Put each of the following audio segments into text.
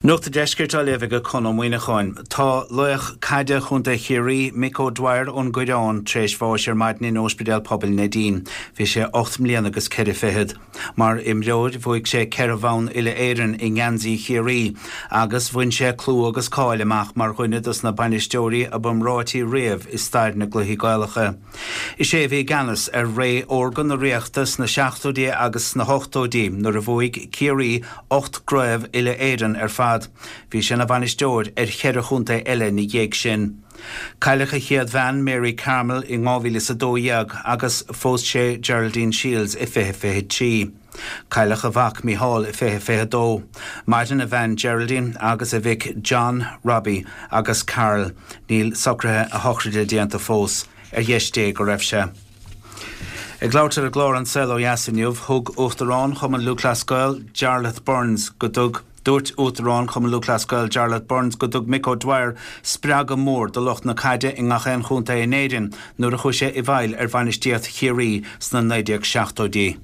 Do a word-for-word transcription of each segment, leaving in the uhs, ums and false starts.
Nuacht an Deiscirt á léamh ag Conn Ó Muíneacháin. Tá laoch caide Chontae Chiarraí, Mick O'Dwyer ón gCoireán, tar éis bháis ar maidin in Ospidéal Pobail Neidín. Bhí sé ocht mbliana agus ceithre fichead. Mar imreoir bhuaigh sé ceithre bhonn uile-Éireann i ngeansaí Chiarraí, agus bhain sé clú agus cáil amach mar dhuine dos na bainisteoirí ab iomráití riamh i stair na gcluichí Gaelacha. Is é a bhí i gceannas ar ré órga na Ríochta sna seachtóidí agus sna hochtóidí nuair a bhuaigh Ciarraí ocht gcraobh uile-Éireann ar fad. Bhí sé ina bhainisteoir ar cheithre chontae eile ina dhiaidh sin. Cailleadh a chéad bhean Mary Carmel in dhá mhíle is a dó dhéag agus phós sé Geraldine Shields i fiche fiche trí. Cailleadh a mhac Micheál i fiche fiche dó. Maireann a bhean Geraldine agus a mhic John, Robbie agus Carl. Níl socruithe a shochraide déanta fós. Ar dheis Dé go raibh sé. Ag labhairt ar an gclár An Saol Ó Dheas inniu, thug Uachtarán Chumann Lúthchleas Gael, Jarlath Burns, go dtug Dúirt Uachtarán Chumann Lúthchleas Gael Jarlath Burns go dtug Mick O'Dwyer spreagadh mór do lucht na caide i ngach aon chontae in Éirinn nuair a chuaigh sé i bhfeighil ar bhainistíocht Chiarraí sna naoi déag seachtóidí.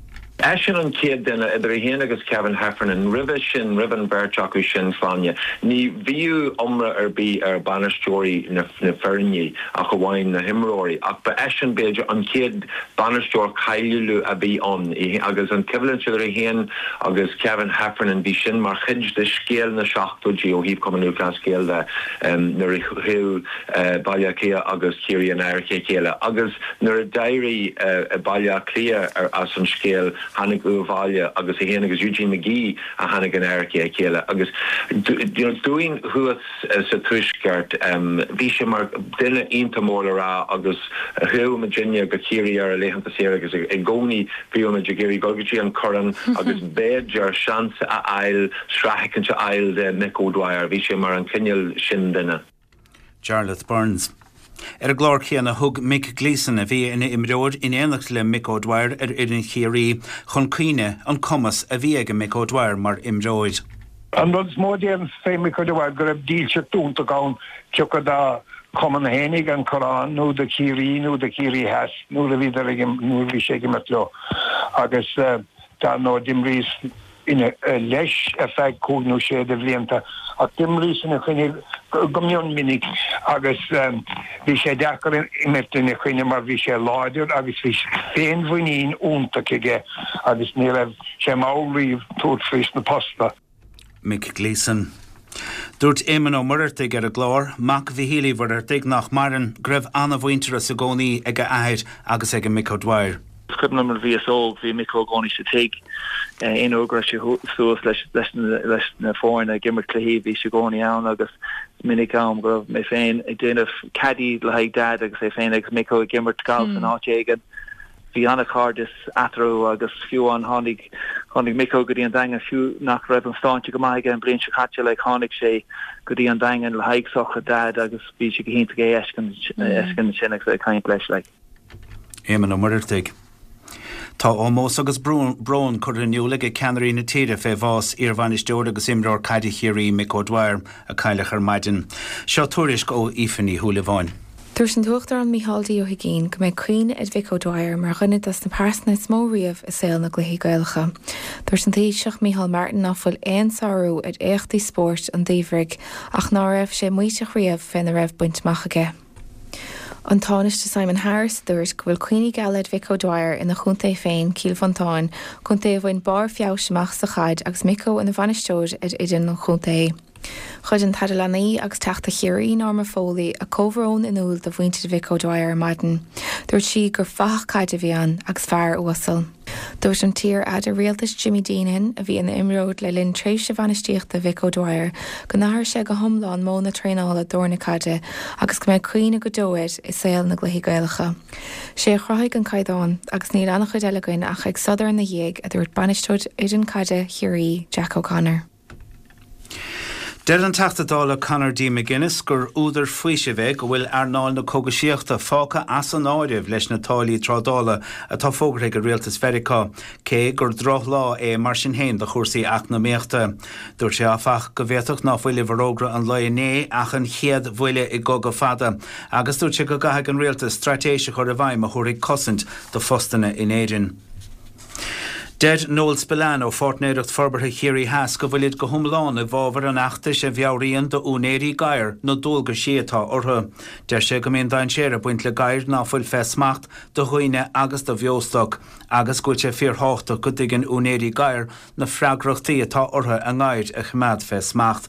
Eisean an chéad duine, idir é féin agus Kevin Heffernan, roimhe sin, roimh an bheirt acu sin, Sláine, ní bhíodh iomrá ar bith ar bhainisteoirí na foirne ach amháin na himreoirí, ach ba eisean, b'fhéidir, an chéad bainisteoir cáiliúil a bhí ann agus an choimhlint idir é féin agus Kevin Heffernan, bhí sin mar chuid de scéal na seachtóidí ó thaobh Cumann Lúthchleas Gael de nuair a chuaigh Baile Átha Cliath agus Ciarraí in adharca a chéile agus nuair a d'éirigh Baile Átha Cliath as an scéal tháinig Uíbh Fhailí agus é féin agus Eugene McGee a tháinig in adharca a chéile agus dúinn thuas sa Tuaisceart bhí sé mar duine iontach mór le rá agus chuaigh muidinne go Ciarraí ar a laethanta saoire agus i gcónaí bhíodh muid ag iarraidh dul go dtí an Corrán agus b'fhéidir seans a fháil, sraith éicint a fháil de Mick O'Dwyer. Bhí sé mar an cineál sin duine. Jarlath Burns. Ar an gclár céanna thug Mick Gleeson, a bhí ina imreoir in éineacht le Mick O'Dwyer ar fhoireann Chiarraí, chun cuimhne an cumas a bhí ag Mick O'Dwyer mar imreoir. An rud is mó a déarfainn fé Mick O'Dwyer go raibh dílseacht iontach ann cé acu dá chumann fhéinig an Corrán nó do Chiarraí nó do Chiarraí Theas nuair a bhíodar ag nuair a bhí sé ag imirt leo agus dar ndóigh d'imríos ina leis ar feadh cúig nó sé de bhlianta ach d'imríos ina choinne go mion minic agus bhí sé deacair imirt ina choinne mar bhí sé láidir agus bhí féinmhuinín iontach aige agus ní raibh sé mall riamh tabhairt faoi sna posta. Mick Gleeson. Dúirt Éamon Ó Muircheartaigh ar an gclár, mac Mhichíl Uí Mhuircheartaigh nach maireann, go raibh an-mhuintearas i gcónaí ag a athair agus ag Mick O'Dwyer. Is cuimhin liom nuair a bhíos óg, bhí Micko i gcónaí sa tigh. Aon uair go raibh sé suas leis leis na foirne ag imirt cluichí, bhí sé i gcónaí ann agus is minic am go raibh mé féin ag déanamh caddy le haghaidh Dad agus é féin agus Micko ag imirt galf in áit éigin. Bhí an-chairdeas eatarthu agus fiú amháin tháinig tháinig Micko go dtí an Daingean fiú nach raibh an sláinte go maith aige an bhliain seo caite like tháinig sé go dtí an Daingean le haghaidh sochraid Dad agus bhí sé go hiontach é a fheiscint ansin agus ag caint leis like. Éamon Ó Muircheartaigh. Tá ómós agus brón curtha in iúl ag ceannairí na tíre fé bhás iarbhainisteoir agus imreoir caide Chiarraí Mick O'Dwyer a cailleadh ar maidin. Seo tuairisc ó Aoife Ní Shúilleabháin. Dúirt an tUachtarán Micheál D. Ó hUigínn go mbeidh cuimhne ar Mhick O'Dwyer mar dhuine des na pearsana is mó riamh i saol na gcluichí Gaelacha. Dúirt an Taoiseach Micheál Martin ná fuil aon sárú ar éachtaí spóirt an Duibhirigh ach ná raibh sé maíteach riamh féna raibh bainte amach aige. An Tánaiste Simon Harris a dúirt go bhfuil cuimhní geala ar Mhick O'Dwyer ina chontae féin, Cill Mhantáin, contae a bhain barr feabhais amach sa chaid agus Micko ina bhainisteoir ar fhoireann an chontae. Chuir an tAire Leanaí agus Teachta Chiarraí Norma Foley a comhbhrón in iúl do mhuintir Mhick O'Dwyer ar maidin. Dúirt sí gur fathach caide a bhí ann agus fear uasal. Dúirt an t-iar-aire rialtais Jimmy Deenihan, a bhí ina imreoir le linn tréimhse bhainistíochta Mhick O'Dwyer, go n-athraigh sé go hiomlán modh na traenála d'fhoirne caide agus go mbeidh cuimhne go deo air i saol na gcluichí Gaelacha. Sé a chruthaigh an caighdeán agus níl an-chuid eile againn ach ag sodar ina dhiaidh, a dúirt bainisteoir fhoireann caide Chiarraí, Jack O'Connor. Deir an Teachta Dála Conor D. McGuinness gur údar faoisimh é go bhfuil earnáil na cógaisíochta fágtha as an áireamh leis na táillí trádála atá fógartha ag rialtas Mheiriceá, cé gur drochlá é mar sin féin do chúrsaí eacnamaíochta. Dúirt sé áfach go bhféadfadh ná fuil i bhforógra an lae inné ach an chéad bhuille i gcogadh fada, agus dúirt sé go gcaithfidh an rialtas straitéis a chur i bhfeidhm a thabharfaidh cosaint do phostanna in Éirinn. Deir Noel Spillane ó Pháirtnéireacht Forbartha Chiarraí Theas go bhfuilid go hiomlán i bhfabhar an fheachtais a mheabhraíonn d'úinéirí gadhar na dualgaisí atá orthu. Deir sé go mbíonn dainséar ag baint le gadhair ná fuil fé smacht do dhaoine agus do bheostoc agus go bhfuil sé fíorthábhachtach go dtuigeann úinéirí gadhar na freagrachtaí atá orthu a ngadhair a choimeád fé smacht.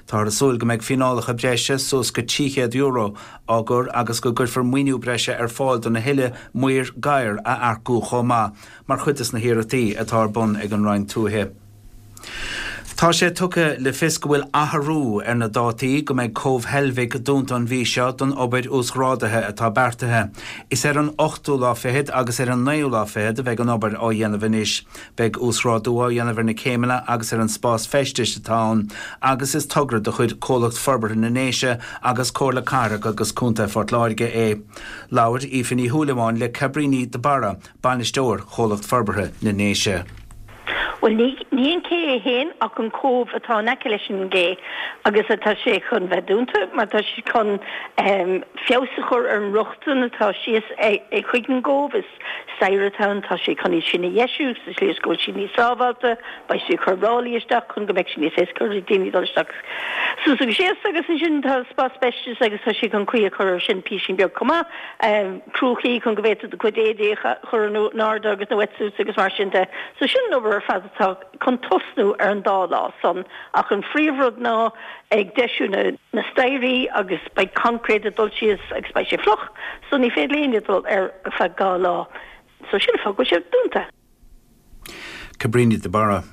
Táthar ag súil go mbeidh fíneálacha breise suas go trí chéad euro á gcur agus go gcuirfear maoiniú breise ar fáil do na thuilleadh maor gadhar a earcú chomh maith mar chuid des na hiarrachtaí atá ar bun ag an Roinn Tuaithe. Tá sé tugtha le fios go bhfuil athrú ar na dátaí go mbeidh Cóbh Heilbhic dúnta an mhí seo don obair uasghrádaithe atá beartaithe. Is ar an ochtú lá fichead agus ar an naoú lá fichead a bheidh an obair á dhéanamh anois. Beidh uasghrádú á dhéanamh ar na céimeanna agus ar an spás feistis atá ann agus is togra de chuid Comhlacht Forbartha na nDéise agus Comhairle Cathrach agus Contae Phort Láirge é. Labhair Aoife Ní Shúilleabháin le Cabríní de Barra, Bainisteoir Chomhlacht Forbartha na nDéise. Bhuel, ní ní an cé é féin ach an cóbh atá in aice leis an gcé agus atá sé chun bheith dúnta mar tá sé chun feabhas a chur ar an rochtain atá síos chuig an gcóbh. Is staighre atá ann, tá sé chun iad sin a dheisiú sa tslí is go bhfuil siad níos sábháilte, beidh siad ag cur ráillí isteach chun go mbeidh sé níos éasca ar daoine dul isteach suas agus síos agus ansin tá spás feistis agus tá sé chun caoi a chur air sin písín beag chomh maith. Cruachaí chun go bhféadfadh do chuid éadaí a chur in airde agus na wetsuits agus mar sin de. So sin an obair ar fad atá chun tosnú ar an dá lá san ach an phríomhrud ná ag deisiú na na staighrí agus beidh concrete ag dul síos agus beidh sé fliuch so ní féidir le éinne dul air ar feadh dhá lá. So sin an fáth go bhfuil sé dúnta. Cabríní de Barra.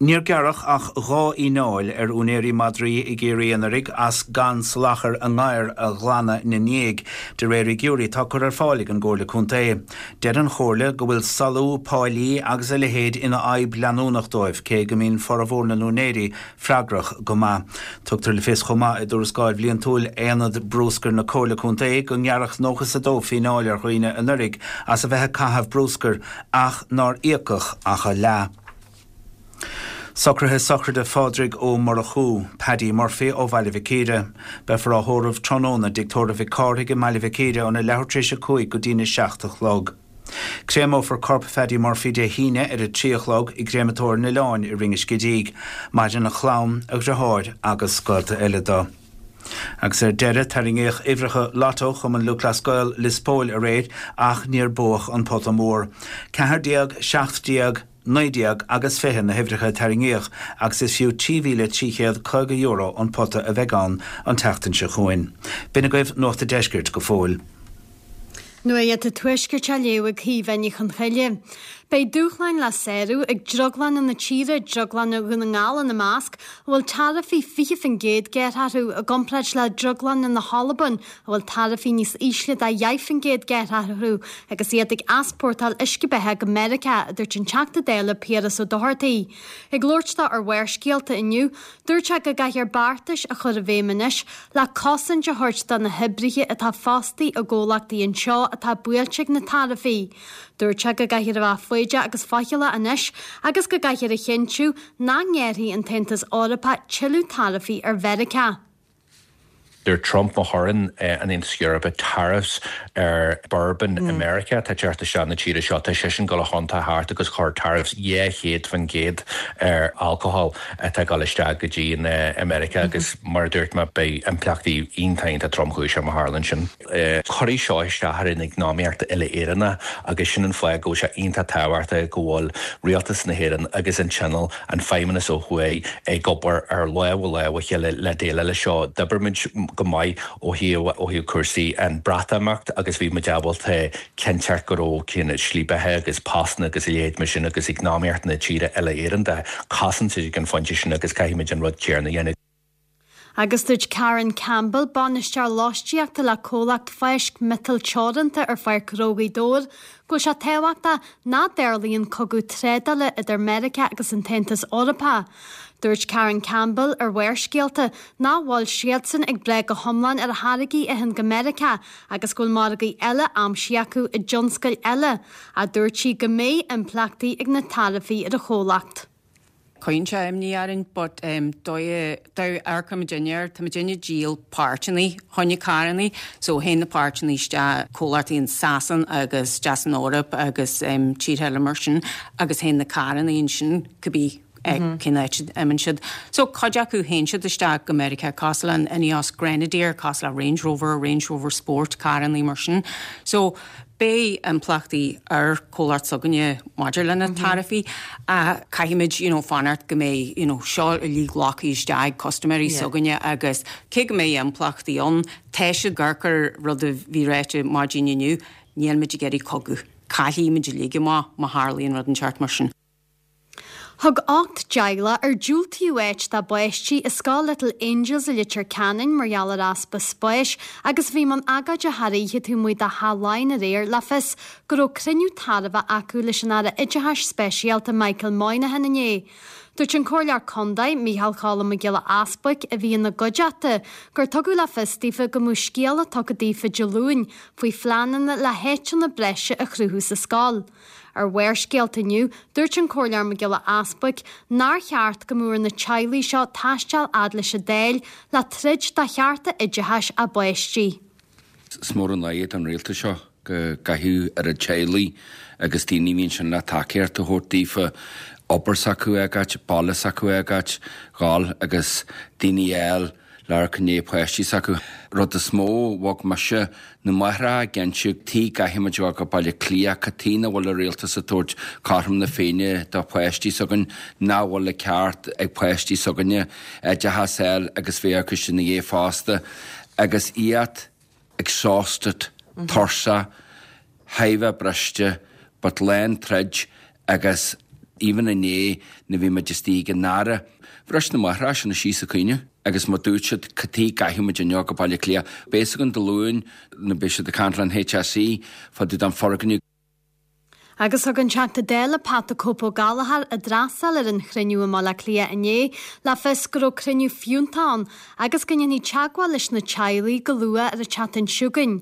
Níor gearradh ach dhá fhíneáil ar úinéirí madraí i gCiarraí anuraidh as gan salachar a ngadhar a ghlanadh ina ndiaidh, de réir fhigiúirí atá curtha ar fáil ag an gComhairle Contae. Deir an Chomhairle go bhfuil salú páilí agus a leithéid ina fhadhb leanúnach dóibh, cé go mbíonn formhór na n-úinéirí freagrach go maith. Tugtar le fios chomh maith i dtuarascáil bhliantúil Aonad Brúscair na Comhairle Contae go ngearradh nócha is a dó fíneáil ar dhaoine anuraidh as a bheith ag caitheamh brúscair ach nár íocadh ach a leath. Socruithe sochraide Phádraig Ó Murchú, Paddy Murphy ó Bhaile Mhic Íre. Beifear á thórramh tráthnóna i dTigh Tórraimh Mhic Cárthaigh i mBaile Mhic Íre óna leathuair tar éis a cúig go dtína seacht a chlog. Créamófar corp Phaddy Murphy Dé hAoine ar a trí a chlog i gCréamatóir an Oileáin i Rinn an Scidígh. Maireann a chlann, a dheartháir agus gaolta eile dó. Agus ar deireadh, tarraingíodh uimhreacha Lotto Chumann Lúthchleas Gael Lios Póil aréir ach níor buadh an pota mór. Ceathair déag, seacht déag, naoi déag agus fiche na huimhreacha a tarraingíodh agus is fiú trí mhíle trí chéad caoga euro an pota a bheidh ann an tseachtain seo chugainn. B'in agaibh Nuacht an Deiscirt go fóill. Nuacht an Tuaiscirt á léamh ag Caoimhe Ní Chonchoille. Beidh dúshláin le sárú ag drioglanna na tíre, drioglanna Dhún na nGall ina measc, a bhfuil taraifí fiche faoin gcéad gearrtha orthu i gcomparáid le drioglanna na hAlban, a bhfuil taraifí níos ísle de dheich faoin gcéad gearrtha orthu agus iad ag easpórtáil uisce beatha go Meiriceá, a dúirt an Teachta Dála Piaras Ó Dochartaigh. Ag labhairt dó ar Bharrscéalta inniu, dúirt sé go gcaithfear beartais a chur i bhfeidhm anois le cosaint a thabhairt do na hoibrithe atá fostaithe i gcomhlachtaí anseo atá buailte ag na taraifí. Dúirt sé go gcaithfear a bheith foighdeach agus faichilleach anois agus go gcaithfear a chinntiú nach ngearrfaidh an tAontas Eorpach tuilleadh taraifí ar Mheiriceá. Dúirt Trump má chuireann an Aontas Eorpach tariffs ar bourbon i Meiriceá atá ag teacht isteach na tíre seo, tá seisean ag dul a thiontú thart agus chur tariffs dhá chéad faoin gcéad ar alcohol atá ag dul isteach go dtí an America agus mar a dúirt mé beidh impleachtaí iontach iontach tromchúiseach má tharlaíonn sin. Cuirfidh seo isteach ar an eacnamaíocht uile-Éireannach agus sin an fáth go bhfuil sé iontach tábhachtach go bhfuil rialtas na hÉireann agus an Tionól, an Feidhmeannas ó thuaidh ag obair ar lámh i lámh a chéile le déileáil leis seo. D'oibir muid go maith ó thaobh ó thaobh cúrsaí an Bhreatimeacht agus bhí muid ábalta cinnteacht go raibh cén slí beatha agus postanna agus a leithéid mar sin agus eacnamaíocht na tíre uile-Éireann de chosaint ag an phointe sin agus caithfidh muid an rud céanna a dhéanamh. Agus dúirt Karen Campbell, bainisteoir lóistíochta le comhlacht Fáisc Miotail Teoranta ar Pháirc Ghnó Ghaoth Dobhair, go bhfuil sé tábhachtach nach dtarlaíonn cogadh trádála idir Meiriceá agus an tAontas Eorpach. Dúirt Karen Campbell ar Bharrscéalta nach bhfuil siadsan ag brath go hiomlán ar tháirgí a théann go Meiriceá agus go bhfuil margaí eile aimsithe acu i dtionscail eile, ach dúirt sí go mbeidh impleachtaí ag na taraifí ar a chomhlacht. Cuireann sé imní orainn but dóigh amharcann muidinne air, tá muidinne ag díol páirteanna choinne carrannaí so théann na páirteanna isteach comhlachtaí in Sasain agus isteach san Eoraip agus tíortha eile mar sin agus théann na carrannaí ansin cibé cén áit a imíonn siad. So cuid acu théann siad isteach go Meiriceá cosúil le an Ineos Grenadier, cosúil le Range Rover, Range Rover Sport, carrannaí mar sin. So beidh impleachtaí ar comhlacht s'againne maidir le na taraifí. Caithfimid you know, fanacht go mbeidh you know, seo uilig glactha isteach ag custaiméirí s'againne agus cé go mbeidh impleachtaí ann, tá siad ag amharc ar rud a bhí ráite maidin inniu, níl muid ag iarraidh cogadh. Caillfidh muid uilig amach má tharlaíonn rud inteacht mar sin. Thug ocht dteaghlach ar diúltaíodh áit dá bpáistí i Scoil Little Angels i Leitir Ceanainn mar gheall ar easpa spáis agus a bhí i mbun agóide thar oíche taobh amuigh de Theach Laighean aréir le fios go raibh cruinniú tairbhe acu leis an Aire Oideachais Speisialta Michael Moynihan inné. Dúirt an Comhairleoir Contae Micheál Choilm Mac Giolla Easbuic a bhí ina gcuideachta gur tugadh le fios daofa go mbeadh scéala tugtha daofa Dé Luain faoi phleananna le háiteanna breise a chruthú sa scoil. Ar Bharrscéalta inniu, dúirt an Comhairleoir Mac Giolla Easbuic nár cheart go mbeadh ar na teaghlaigh seo taisteal fhad leis an Dáil le troid do chearta oideachais a bpáistí. Is mór an náire don rialtas seo go gcaithfidh oiread teaghlaigh agus daoine a bhíonn sin le tacaíocht a thabhairt daofa obair s'acu a fhágáil, baile s'acu a fhágáil, dhul agus daoine eile le coinne páistí s'acu. Rud is mó a bhog mise na máithreacha ag inse tuige gcaithfimid dul go Baile Átha Cliath cad chuige nach bhfuil an rialtas ag tabhairt cothrom na Féinne do pháistí s'againn nach bhfuil an ceart ag páistí s'againne oideachas a fháil agus bheith acu sin ina dhiaidh fosta agus iad exhausted, tuirseach, thar a bheith briste, but lán troid agus even inné nuair a bhí muid istigh ag an Aire. Bhris na máithreacha sin síos ag caoineadh agus má dúirt siad cad chuige gcaithfimid inniu go Baile Átha Cliath. Beidh an Dé Luain na beidh siad ag caint le an HSE fá dtaobh den foirgneamh. Agus thug an Teachta Dála Pat the Cope Ó Gallchóir a d'fhreastail ar an chruinniú i mBaile Átha Cliath inné le fios go raibh cruinniú fiúntach ann agus go ndéanfaí teagmháil leis na teaghlaigh go luath ar an tseachtain seo chugainn.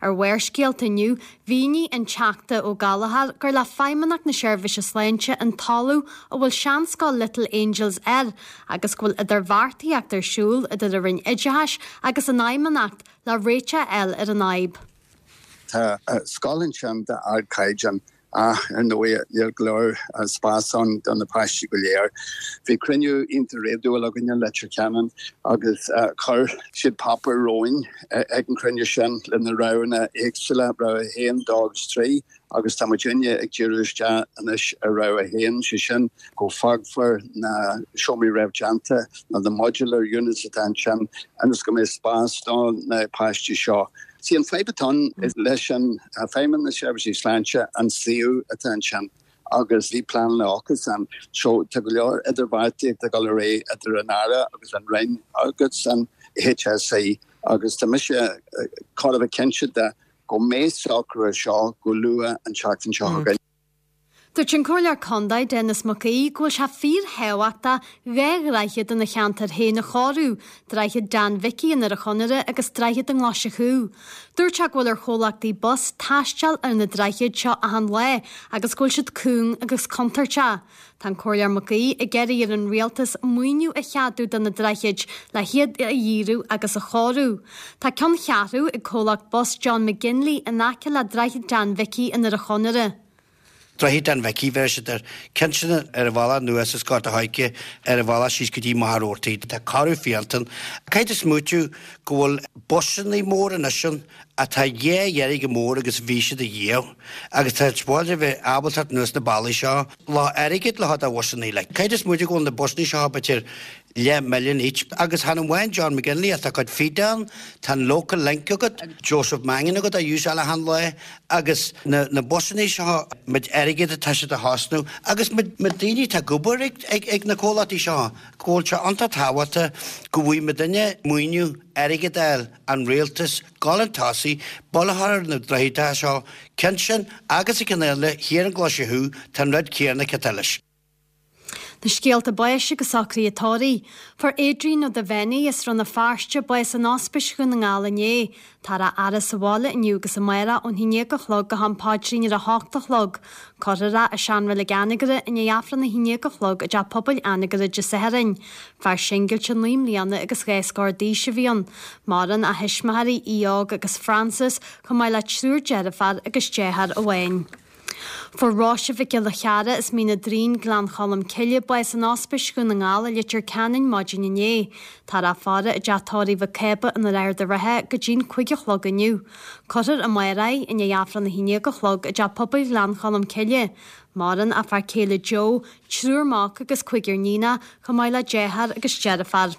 Ar Bharrscéalta inniu, mhínigh an Teachta Ó Gallchóir gur le Feidhmeannacht na Seirbhíse Sláinte an talamh a bhfuil seanscoil Little Angels air agus go bhfuil idirbheartaíocht ar siúl idir an Roinn Oideachais agus an Fheidhmeannacht le réiteach a fháil ar an fhadhb. Tá scoil ansin d'ardchaighdeán ach ar ndóigh níl go leor spás ann do na páistí go léir. Bhí cruinniú iontach réadúil againn in Leitir Ceanainn agus chuir siad páipéar romhainn ag an chruinniú sin le na roghanna éagsúla rogha haon dó agus trí agus tá muidinne ag díriú isteach anois ar rogha haon sé sin go bhfágfar na seomraí réamhdhéanta na the modular units atá ansin agus go mbeidh spás do na páistí seo. Sí an fadhb atá leis an Feidhmeannacht na Seirbhísí Sláinte an suíomh atá ansin agus bhí plean acu an so tá go leor idirbheartaíocht ag dul ar aghaidh idir an Aire agus an Roinn agus an HSE agus tá mise chóir a bheith cinnte de go mbeidh socrú seo go luath an tseachtain seo chugainn. Dúirt an Comhairleoir Contae Denis Mac Aoidh go bhfuil sé fíorthábhachtach dhá dhroichead ina cheantar féin a chóiriú, Droichead Dan Mhicí in Doire Chonaire agus Droichead an Ghlaise Chú. Dúirt sé go bhfuil ar chomhlachtaí bus taisteal ar na droichid seo achan lá agus go bhfuil siad cúng agus contúirteach. Tá an Comhairleoir Mac Aoidh ag iarraidh ar an rialtas maoiniú a cheadú do na droichid le hiad a dhíriú agus a chóiriú. Tá ceanncheathrú ag comhlacht bus John McGinley in aice le Droichead Dan Mhicí in Doire Chonaire. Droichead Dan Mhicí bheir siad ar cinsin ar a bhalla nua sa Scott a haige ar a bhalla síos go dtí Machaire Rabhartaigh. Tá cóiriú fiúntach. Caithfidh tú smaoitiú go bhfuil busanna mór anois ann atá dhá oiread chomh mór agus bhí siad a dhiaidh. Agus tá bháil bheith ábalta anuas na bealaí seo le airgead le a bhusanna le. Caithfidh tú smaoitiú go bhfuil na busanna seo b'fhéidir leath milliún each agus chan amháin John McGinley atá cuid Fidan, tá an local link agat, Joseph Mangan agat a úsáil achan lá agus na, na busanna seo muid airgead atá siad a chosnú agus muid daoine tá ag obair ag, ag, ag na comhlachtaí seo go bhfuil sé an-tábhachtach go bhfuil muid duine maoiniú airgead fháil an rialtas gal an tosaí bolthar na droichid seo ceann sin agus a ceann eile thiar an Ghlaise Chú tá an rud céanna cetal leis. Na scéalta báis agus socruithe tórraimh. Fuair Adrian Ó Duibheannaigh as Rann na Feirste bás in Ospís Dhún na nGall inné. Táthar á fhaire sa bhaile inniu agus amárach ón haon déag a chlog go ham paidrín ar a hocht a chlog. Cuirfear é i seanreilig Anagaire i ndiaidh Aifreann a haon déag a chlog i dTeach Pobail Anagaire Dé Sathairn. Fear singilte naoi mbliana agus dhá scór d'aois a bhí ann. Maireann a thuismitheoirí Aodh Óg agus Frances chomh maith le triúr deirfiúr agus deartháir amháin. Fuair Róise Mhic Giolla Cheara as Mín an Doirín, Gleann Cholm Cille, bás in Ospís Dhún na nGall i Leitir Ceanainn maidin inné. Táthar á faire i dteach tórraimh Mhic Cába in Ard an Rátha go dtí'n cúig a chlog inniu. Cuirfear amárach í i ndiaidh Aifreann a haon déag a chlog i dTeach Pobail Ghleann Cholm Cille. Maireann a fear céile Joe, triúr mac agus cúigear níonach, chomh maith le deartháir agus deirfiúr.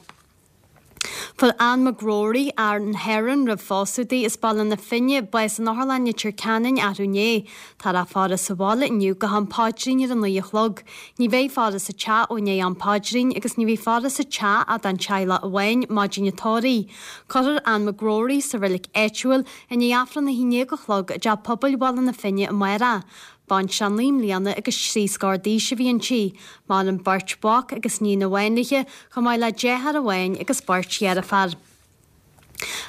Fuair Ann McGrory, Ann Heron, roimh phósadh di, as Baile na Finne, bás in Otharlann Leitir Ceanainn arú inné. Táthar á faire sa bhaile inniu go ham paidrín ar a naoi a chlog. Ní bheidh faire sa teach ó i ndiaidh am paidrín agus ní bheidh faire sa teach ach don teaghlach amháin maidin an tórraimh. Cuirfear Ann McGrory sa reilig áitiúil i ndiaidh Aifreann a haon déag a chlog i dTeach Pobail Bhaile na Finne amárach. Baintreach naoi mbliana agus trí scór d'aois a bhí inti. Maireann beirt mhac agus níon amháin léi, chomh maith le deartháir amháin agus beirt dheirfiúr.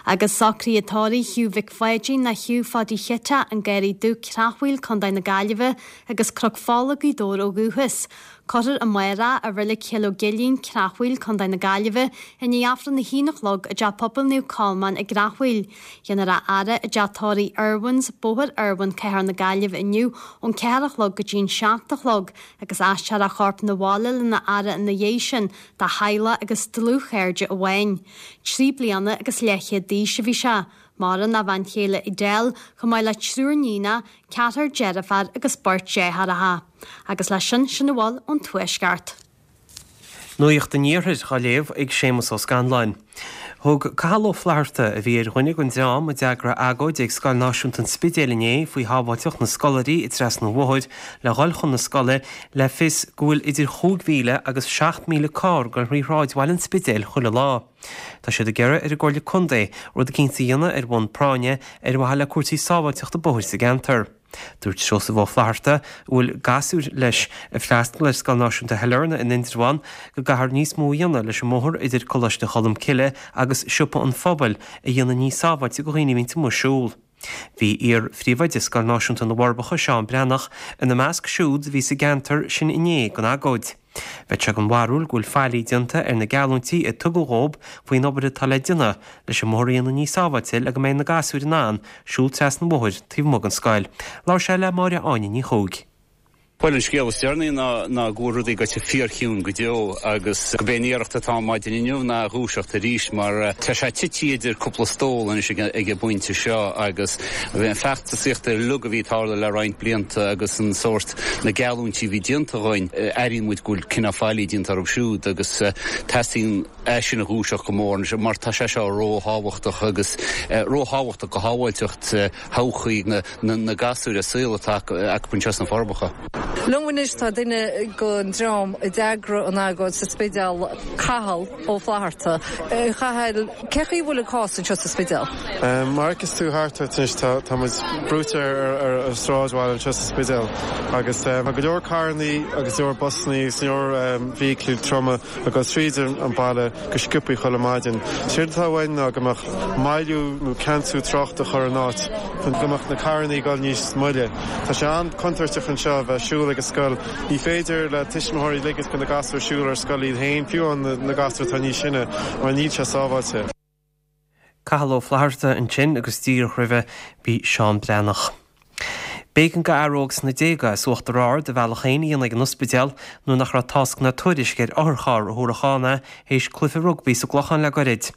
Agus socruithe tórraimh Hugh Mhic Pháidín nó Hugh Pháidí Chite, An Garraí Dubh, Creachmhaoil, Contae na Gaillimhe, agus Cnoc Fola, Gaoth Dobhair ó dhúchas. Cuirfear amárach i Reilig Chill Ó gCuilinn, Creachmhaoil, Contae na Gaillimhe, i ndiaidh Aifreann a haon a chlog i dTeach Pobail Naomh Colmán i gCreachmhaoil. Déanfar a fhaire i dTeach Tórraimh Irwin's, Bóthar Irwin, Cathair na Gaillimhe inniu ón ceathair a chlog go dtí'n seacht a chlog agus aistreofar a chorp 'na bhaile lena fhaire ina dhiaidh sin dá theaghlach agus dlúthchairde amháin. Trí bliana agus leathchéad d'aois a bhí sé. Maireann a bhean chéile Edel, chomh maith le triúr níonach, ceathrar deirfiúr agus beirt deartháireacha. Agus leis sin, sin a bhfuil ón Tuaisceart. Nuacht an Iarthair á léamh ag Séamus Ó Scanláin. Thug Cathal Ó Flatharta, a bhí ar dhuine den dream a d'eagraigh agóid ag Scoil Náisiúnta an Spidéil inné faoi shábháilteacht na scoláirí ag trasnú an bhóthair le dhul chun na scoile, le fios go bhfuil idir chúig mhíle agus seacht míle carr ag dul thrí shráidbhaile an Spidéil chuile lá. Tá siad ag iarraidh ar an gComhairle Contae rud eicínt a dhéanamh ar bhonn práinne ar mhaithe le cúrsaí sábháilteachta bóthair sa gceantar. Dúirt Seosamh Ó Flatharta, a bhfuil gasúir leis ag freastal ar Scoil Náisiúnta Shailearna in Indreabhán, go gcaithfear níos mó a dhéanamh leis an mbóthar idir Coláiste Cholmcille agus Siopa an Phobail a dhéanamh níos sábháilte do dhaoine a bhíonns amuigh ag siúl. Bhí iar-phríomhoide Scoil Náisiúnta na bhForbacha, Seán Breathnach, ina measc siúd a bhí sa gceantar sin inné don agóid. Bheadh sé den bharúil go bhfuil faillí déanta ar na geallúintí a tugadh dhób faoin obair atá le déanamh leis an mbóthar a dhéanamh níos sábháilte le go mbeidh na gasúir in ann siúl trasna an bhóthair taobh amuigh den scoil. Labhair sé le Máire Áine Ní Chuaig. Bhuel, an scéal is deireanaí ná ná go bhfuil rudaí gaite fíorchiúin go deo agus go b'é an iarracht atá ann maidin inniu ná a dhúiseacht arís mar tá sé tite idir cúpla stól anois ag an bpointe seo agus bhí an feachtasaíocht uilig a bhí ag tarlú le roinnt blianta agus an sórt na geallúintí a bhí déanta dhúinn, airíonn muid go bhfuil cineál faillí déanta orthu siúd agus teastaíonn é sin a dhúiseacht go mór anois mar tá sé seo róthábhachtach agus róthábhachtach do shábháilteacht thodhchaí na gasúir an saol atá acu anseo sna Forbacha. Liom anois tá duine den dream a d'eagraigh an agóid sa Spidéal, Cathal Ó Flatharta. A Chathail, cé chaoi a bhfuil an cás anseo sa Spidéal? Mar a fheiceas tú thart ort anois tá muid brúite ar an sráidbhaile anseo sa Spidéal agus tá go leor carrannaí agus go leor busannaí agus go leor feithiclí troma ag dul tríd an baile go sciobthaí chuile maidin. Séard atá uainn ná go mbeadh moilliú nó ceansú tráchta a chur in áit chun go mbeadh na carrannaí ag dul níos moille. Tá sé an-chontúirteach anseo a bheith ag siúl ag an scoil. Ní féidir le tuismitheoirí ligint do na gasúir siúl ar scoil iad féin, fiú amháin na gasúir atá níos sine, mar níl sé sábháilte. Cathal Ó Flatharta ansin agus díreach roimhe bhí Seán Breathnach. B'éigean do fhear óg sna déaga as Uachtar Ard a bhealach féin a dhéanamh ag an ospidéal nuair nach raibh tásc ná tuairisc ar otharcharr a thabharfadh ann é théis cluiche rugbaí sa gClochán le goirid.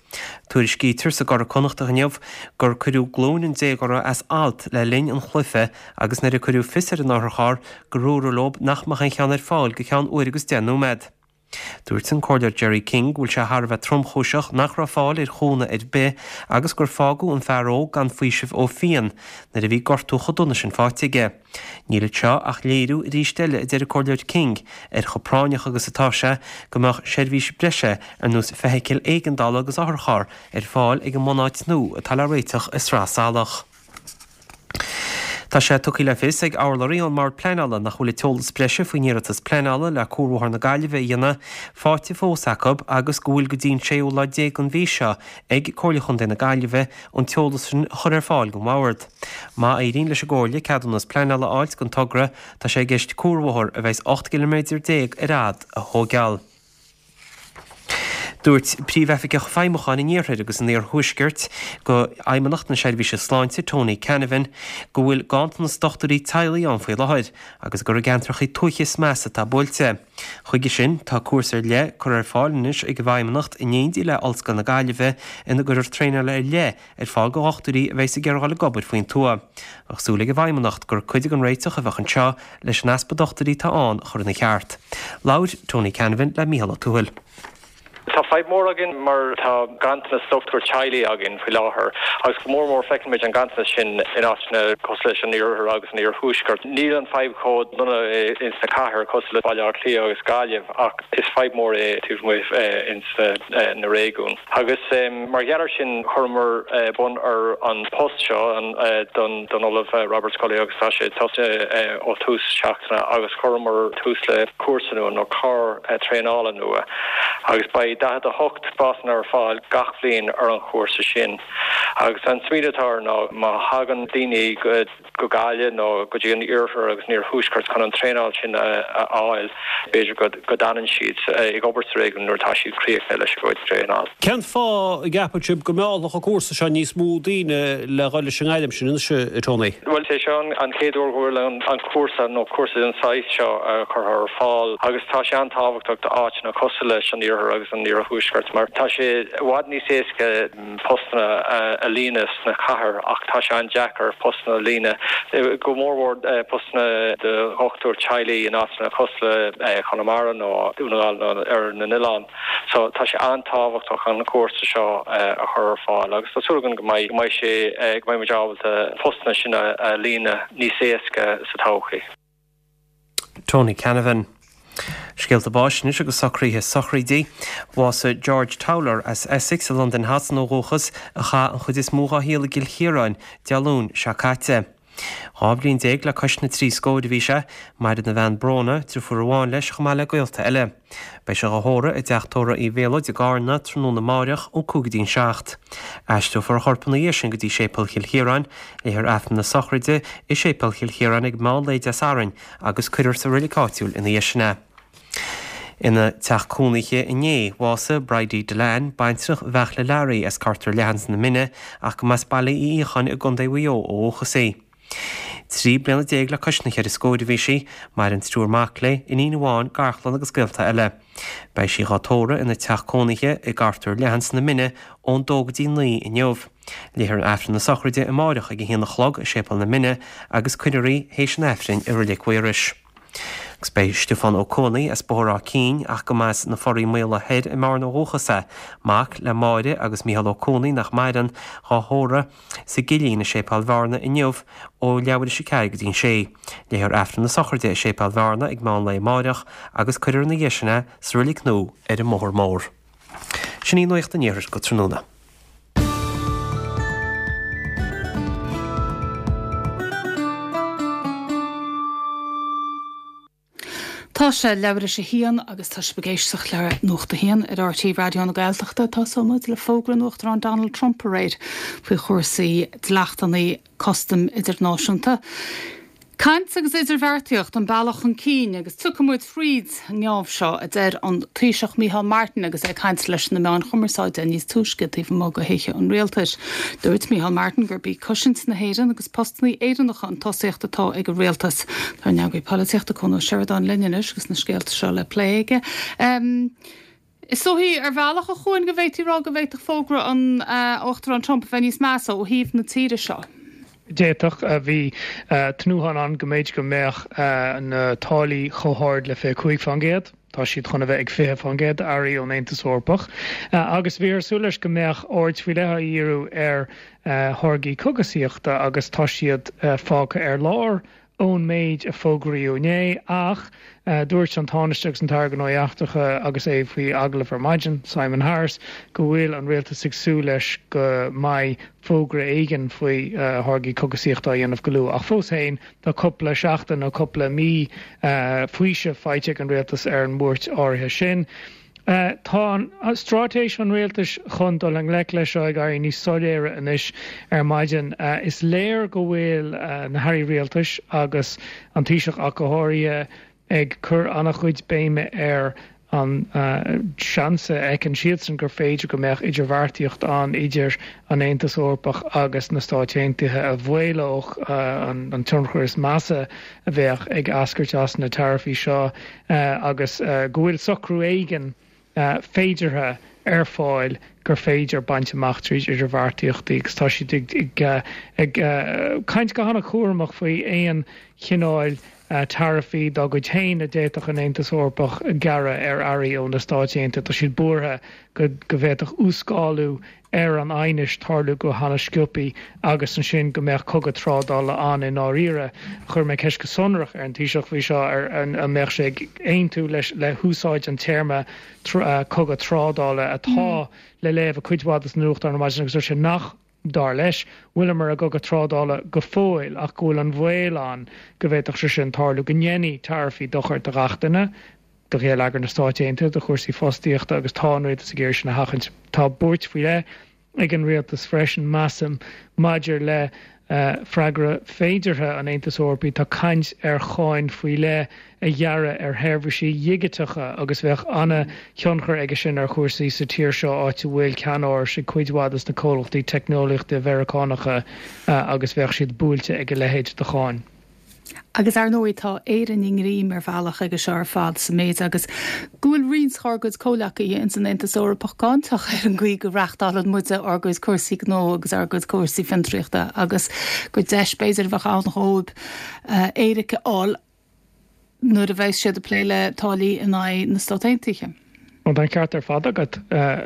Tuairiscítear sa gCuradh Connachtach inniu gur cuireadh glúin an déagóra as alt le linn an chluiche agus nuair a cuireadh fios ar an otharcharr gur dúradh leo nach mbeadh aon cheann ar fáil go ceann uair agus deich nóiméad. Dúirt an Comhairleoir Gerry King go bhfuil sé thar a bheith tromchúiseach nach raibh fáil ar chúnamh ar bith agus gur fágadh an fear óg gan faoiseamh ó phian nuair a bhí gortú chomh dona sin faighte aige. Níl anseo ach léiriú arís eile, a deir an Comhairleoir King, ar chomh práinneach agus atá sé go mbeadh seirbhís breise ar nós feithicil éigeandála agus otharcharr ar fáil ag an mbunáit nua atá le réiteach i Sraith Salach. Tá sé tugtha le fios ag urlabhraí ón mBord Pleanála nach bhfuil an t-eolas breise faoin iarratas pleanála le Cuarbhóthar na Gaillimhe a dhéanamh faighte fós acu agus go bhfuil go dtí an séú lá déag den mhí seo ag Comhairle Chontae na Gaillimhe an t-eolas sin a chur ar fáil don Bhord. Má éiríonn leis an gComhairle ceadúnas pleanála a fháilt don togra, tá sé i gceist cuarbhóthar a bheas ocht gciliméadar déag ar fhad a thógáil. Dúirt Príomhoifigeach Feidhmiúcháin an Iarthair agus an Iarthuaiscirt do Fheidhmeannacht na Seirbhíse Sláinte, Tony Canavan, go bhfuil ganntanas dochtúirí teaghlaigh ann faoi láthair agus gur i gceantracha tuaithe is measa atá buailte. Chuige sin, tá cúrsa ar leith curtha ar fáil anois ag an bhFeidhmeannacht in éindí le Ollscoil na Gaillimhe ina gcuirfear traenáil ar leith ar fáil do dhochtúirí a bheas ag iarraidh dul ag obair faoin tuath. Bheadh súil ag an bhFeidhmeannacht gur cuid den réiteach a bheadh anseo leis an easpa dochtúirí atá ann a chur ina cheart. Labhair Tony Canavan le Mícheál Ó Tuathail. Tá fadhb mór againn mar tá ganntanas dochtúir teaghlaigh againn faoi láthair agus go mór mór feicimid an ganntanas sin in áiteanna cosúil leis an iarthar agus an iarthuaisceart. Níl an fadhb chomh dona ins na cathair cosúil le Baile Átha Cliath agus Gaillimh ach is fadhb mór é taobh amuigh ins na réigiúin. Agus mar gheall air sin chuireamar bun ar an post seo don don Ollamh Robert Scully agus tá sé tosaithe ó tús seachtaine agus chuireamar tús le cúrsa nua nó clár traenála nua agus beidh daichead a hocht spásanna ar fáil gach bliain ar an chúrsa sin. Agus an smaoineamh atá air ná má thagann daoine go go Gaillimh nó go dtí an iarthar agus an iarthuaisceart chun an traenáil sin a fháil, b'fhéidir go go d'fhanann siad ag obair sa réigiún nuair atá siad críochnaithe leis a gcuid traenáil. Cén fáth a gceapann sibh go meallfadh an cúrsa seo níos mó daoine le dhul leis an ngairm sin anois, a Tony? Bhuel, is é seo an chéad uair go bhfuil an cúrsa nó cúrsa den saghas seo curtha ar fáil agus tá sé an-tábhachtach d'áiteanna cosúil leis an iarthar agus an iarthuaisceart mar tá sé i bhfad níos éasca postanna a líonadh sna cathair ach tá sé an-deacair postanna a líonadh, go mór mhór postanna do dhochtúir teaghlaigh in áiteanna cosúil le Conamara nó Dún na nGall nó ar na n-oileán. So tá sé an-tábhachtach an cúrsa seo a chur ar fáil agus tá súil againn go mbeidh go mbeidh sé go mbeidh muid ábalta postanna sin a líonadh níos éasca sa todhchaí. Tony Canavan. Scéalta báis anois agus socruithe sochraidí. Bhásaigh George Towler as Essex i Londain Shasana ó dhúchas, a chaith an chuid is mó dá shaol i gCill Chiaráin, Dé Luain seo caite. Dhá bhliain déag le cois na trí scóir a bhí sé. Maireann a bhean Bróna, driofúr amháin leis chomh maith le gaolta eile. Beidh sé dhá thórramh i dteach tórraimh Uí Mhéalóid i gCarna tráthnóna amáireach ón cúig go dtí an seacht. Aistreofar a chorp ina dhiaidh sin go dtí Séipéal Chill Chiaráin. Léifear Aifreann na sochraide i Séipéal Chill Chiaráin ag meán lae Dé Sathairn agus cuirfear sa reilig áitiúil ina dhiaidh sin é. Ina teach cónaithe inné, bhásaigh Bridie Dillane, baintreach Bheartla Learaí as Cartair Leathan sna Mine ach go mb'as Baile Uí Fhiacháin i gContae Mhaigh Eo ó dhúchas í. Trí bliana déag le cois na cheithre scóir a bhí sí, maireann triúr mac léi, iníon amháin, garchlann agus gaolta eile. Beidh sí dhá tórramh ina teach cónaithe i gCartair Leathan sna Mine ón dó go dtí naoi inniu. Léifear Aifreann na sochraide amáireach ag a haon a chlog i Séipéal na Mine agus cuirfear í théis an Aifrinn i Reilig Mhaorais. Agus beidh Stiofán Ó Cuanaigh as Bóthar Áth Cinn ach go mb'as na Foraí Maola Thoir i mBearna ó dhúchas é, mac le Máire agus Mícheál Ó Cuanaigh nach maireann, dhá thórramh sa gCillín i Séipéal Bhearna inniu ó leathuair théis a ceathair go dtí an sé. Léifear Aifreann na sochraide i Séipéal Bhearna ag meán lae amáireach agus cuirfear ina dhiaidh sin é sa Reilig Nua ar an mBóthar Mór. Sin í Nuacht an Iarthair go tráthnóna. Tá sé leathuair théis a haon agus tá sibh ag éisteacht le Nuacht a hAon ar RTÉ Raidió na Gaeltachta. Tosóidh muid le fógra an Uachtaráin Donald Trump aréir faoi chúrsaí dleachtanna custaim idirnáisiúnta. Caint agus idirbheartaíocht an bealach chun cinn agus tiocfaidh muid fríd an ngeábh seo, a deir an Taoiseach Micheál Martin agus é ag caint leis na meáin chumarsáide níos túisce taobh amuigh de Thithe an Rialtais. Dúirt Micheál Martin gurb í cosaint na hÉireann agus postanna Éireannacha an tosaíocht atá ag an rialtas. Tá ár n-eagraí polaitíochta Cuan Ó Seireadáin linn anois agus na scéalta seo le plé aige. Is dóichí, ar bhealach, a Chuain, go bhféadfaí rá go bhféadfadh fógra an Uachtaráin Trump a bheith níos measa ó thaobh na tíre seo. D'fhéadfadh. Bhí tnúthán ann go mb'fhéidir go mbeadh na táillí chomh hard le fiche cúig faoin gcéad. Tá siad chun a bheith ag fiche faoin gcéad d'earraí ón Aontas Eorpach. Agus bhíothar ag súil leis go mbeadh aird faoi leith á dhíriú ar tháirgí cogasaíochta agus tá siad fágtha ar lár. ón méid a fógraíodh inné, ach dúirt an Tánaiste agus an tAire Gnóthaí Eachtracha agus é faoi agallamh ar maidin, Simon Harris, go bhfuil an rialtas ag súil leis go mbeidh fógra éigin faoi tháirgí cógaisíochta á dhéanamh go luath. Ach fós féin, tá cúpla seachtain nó cúpla mí faoiseamh faighte ag an rialtas ar an mbuairt áirithe sin. Tá straitéis an rialtais chun dul i ngleic leis seo ag éirí níos soiléire anois ar maidin. Is léir go bhfuil na hairí rialtais agus an Taoiseach ach go háirithe ag cur an-chuid béime ar an seans a fheiceann siadsan gur féidir go mbeadh idirbheartaíocht ann idir an Aontas Eorpach agus na Stáit Aontaithe a mhaolódh an tionchar is measa a bheadh ag eascairt as na taraifí seo agus go bhfuil socrú éigin féideartha ar fáil gur féidir baint amach tríd idirbheartaíochtaí agus tá siad ag ag caint go han-chúramach faoi aon chineál taraifí dá gcuid féin a d'fhéadfadh an Aontas Eorpach gearradh ar earraí ó na Stáit Aontaithe. Tá siad buartha go go bhféadfadh uascálú ar an aighneas tarlú go han-sciobtha agus ansin go mbeadh cogadh trádála ann i ndáiríre. Chuir mé ceist go sonrach ar an Taoiseach faoi seo ar an mbeadh sé ag aontú leis le húsáid an téarma cogadh trádála atá le léamh i cuid mhaith de na nuachtáin ar maidin agus dúirt sé nach dar leis, bhfuileamar i gcogadh trádála go fóill ach go bhfuil an baol ann go bhféadfadh sé sin tarlú, go ndéanfaidh taraifí dochar do gach duine, do gheilleagar na Stáit Aontaithe, do chúrsaí fostaíochta agus tá an rialtas ag iarraidh sin a sheachaint. Tá buairt faoi leith ag an rialtas freisin, measaim, maidir le freagra féideartha an Aontais Eorpaigh. Tá caint ar cháin faoi leith a ghearradh ar sheirbhísí dhigiteacha agus bheadh an-thionchar aige sin ar chúrsaí sa tír seo áit a bhfuil ceannárais ag cuid mhaith de na comhlachtaí teicneolaíochta Mheiriceánacha agus bheadh siad buailte ag a leithéid de cháin. Agus ar ndóigh tá Éire i ngreim ar bhealach aige seo ar fad sa méid agus go bhfuil roinnt dár gcuid comhleacaithe ins an Aontas Eorpach cáinteach ar an gcaoi go reáchtálann muide ár gcuid cúrsaí gnó agus ár gcuid cúrsaí fiontraíochta agus gur deis b'fhéidir a bheadh ann dhóibh éiric a fháil nuair a bheas siad ag plé le táillí in aghaidh na Stát Aontaithe. Tá an ceart ar fad agat